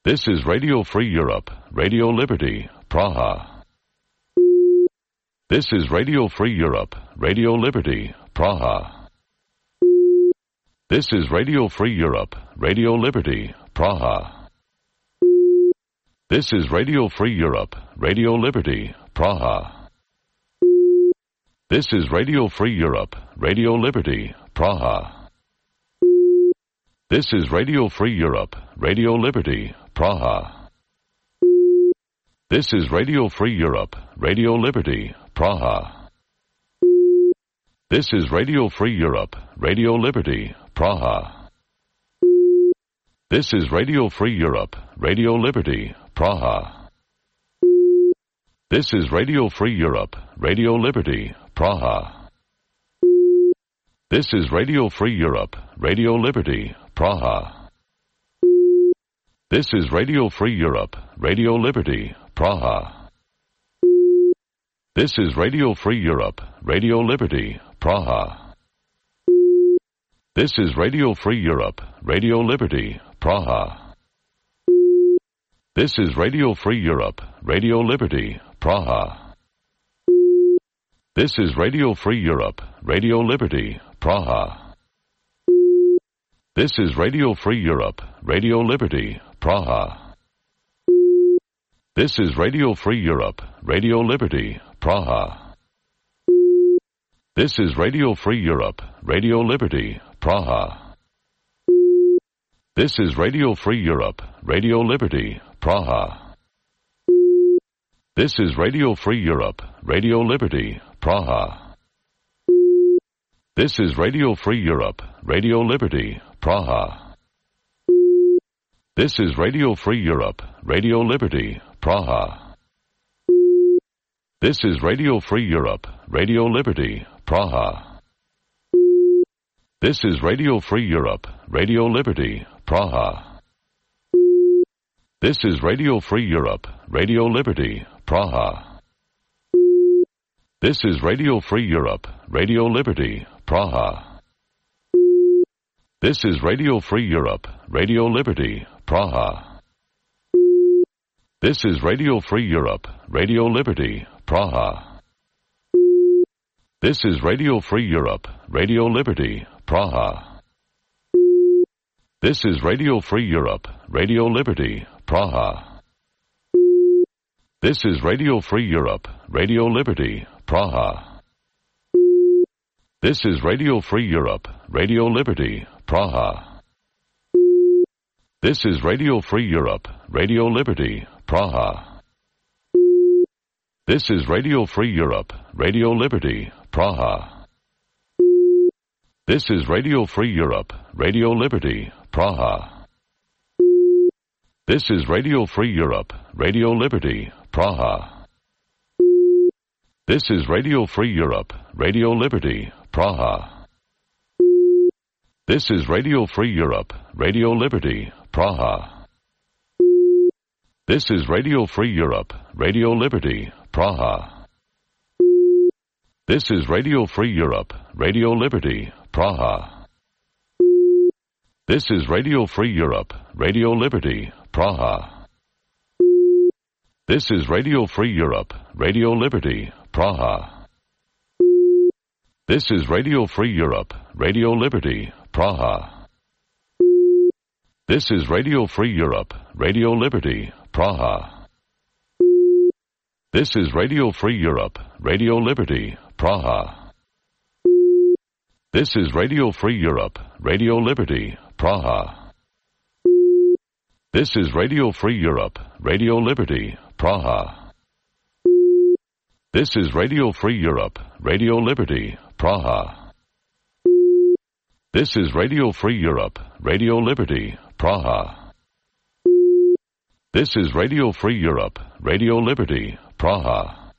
This is Radio Free Europe, Radio Liberty, Praha. This is Radio Free Europe, Radio Liberty, Praha. This is Radio Free Europe, Radio Liberty, Praha. This is Radio Free Europe, Radio Liberty, Praha. This is Radio Free Europe, Radio Liberty, Praha. This is Radio Free Europe, Radio Liberty, Praha. This is Radio Free Europe, Radio Liberty, Praha. This is Radio Free Europe, Radio Liberty, Praha. This is Radio Free Europe, Radio Liberty, Praha. This is Radio Free Europe, Radio Liberty, Praha. This is Radio Free Europe, Radio Liberty, Praha. This is Radio Free Europe, Radio Liberty, Praha. This is Radio Free Europe, Radio Liberty, Praha. This is Radio Free Europe, Radio Liberty, Praha. This is Radio Free Europe, Radio Liberty, Praha. This is Radio Free Europe, Radio Liberty, Praha. This is Radio Free Europe, Radio Liberty, Praha. This is Radio Free Europe, Radio Liberty, Praha. This is Radio Free Europe, Radio Liberty, Praha. This is Radio Free Europe, Radio Liberty, Praha. This is Radio Free Europe, Radio Liberty, Praha. This is Radio Free Europe, Radio Liberty, Praha. This is Radio Free Europe, Radio Liberty, Praha. This is Radio Free Europe, Radio Liberty, Praha. This is Radio Free Europe, Radio Liberty, Praha. This is Radio Free Europe, Radio Liberty, Praha. This is Radio Free Europe, Radio Liberty, Praha. This is Radio Free Europe, Radio Liberty, Praha. This is Radio Free Europe, Radio Liberty, Praha. This is Radio Free Europe, Radio Liberty, Praha. This is Radio Free Europe, Radio Liberty, Praha. This is Radio Free Europe, Radio Liberty, Praha. This is Radio Free Europe, Radio Liberty, Praha. This is Radio Free Europe, Radio Liberty, Praha. This is Radio Free Europe, Radio Liberty, Praha. This is Radio Free Europe, Radio Liberty, Praha. This is Radio Free Europe, Radio Liberty, Praha. This is Radio Free Europe, Radio Liberty, Praha. This is Radio Free Europe, Radio Liberty, Praha. This is Radio Free Europe, Radio Liberty, Praha. This is Radio Free Europe, Radio Liberty, Praha. This is Radio Free Europe, Radio Liberty, Praha. This is Radio Free Europe, Radio Liberty, Praha. This is Radio Free Europe, Radio Liberty, Praha. This is Radio Free Europe, Radio Liberty, Praha. This is Radio Free Europe, Radio Liberty, Praha. This is Radio Free Europe, Radio Liberty, Praha. This is Radio Free Europe, Radio Liberty, Praha. This is Radio Free Europe, Radio Liberty, Praha. This is Radio Free Europe, Radio Liberty, Praha. This is Radio Free Europe, Radio Liberty, Praha.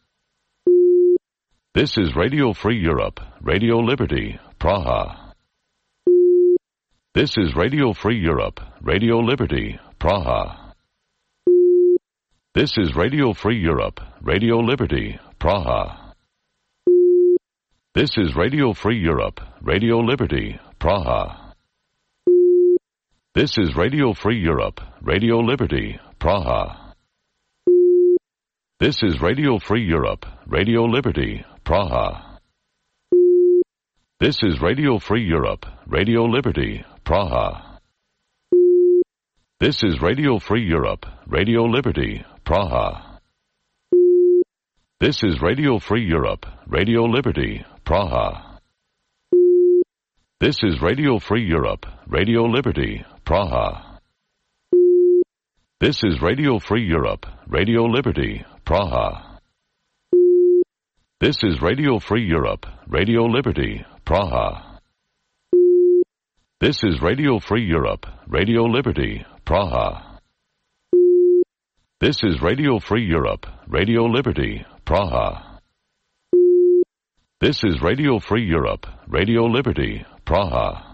This is Radio Free Europe, Radio Liberty, Praha. This is Radio Free Europe, Radio Liberty, Praha. This is Radio Free Europe, Radio Liberty, Praha. This is Radio Free Europe, Radio Liberty, Praha. This is Radio Free Europe, Radio Liberty, Praha. This is Radio Free Europe, Radio Liberty, Praha. This is Radio Free Europe, Radio Liberty, Praha. This is Radio Free Europe, Radio Liberty, Praha. This is Radio Free Europe, Radio Liberty, Praha. This is Radio Free Europe, Radio Liberty, Praha. This is Radio Free Europe, Radio Liberty, Praha. This is Radio Free Europe, Radio Liberty, Praha. This is Radio Free Europe, Radio Liberty, Praha. This is Radio Free Europe, Radio Liberty, Praha. This is Radio Free Europe, Radio Liberty, Praha.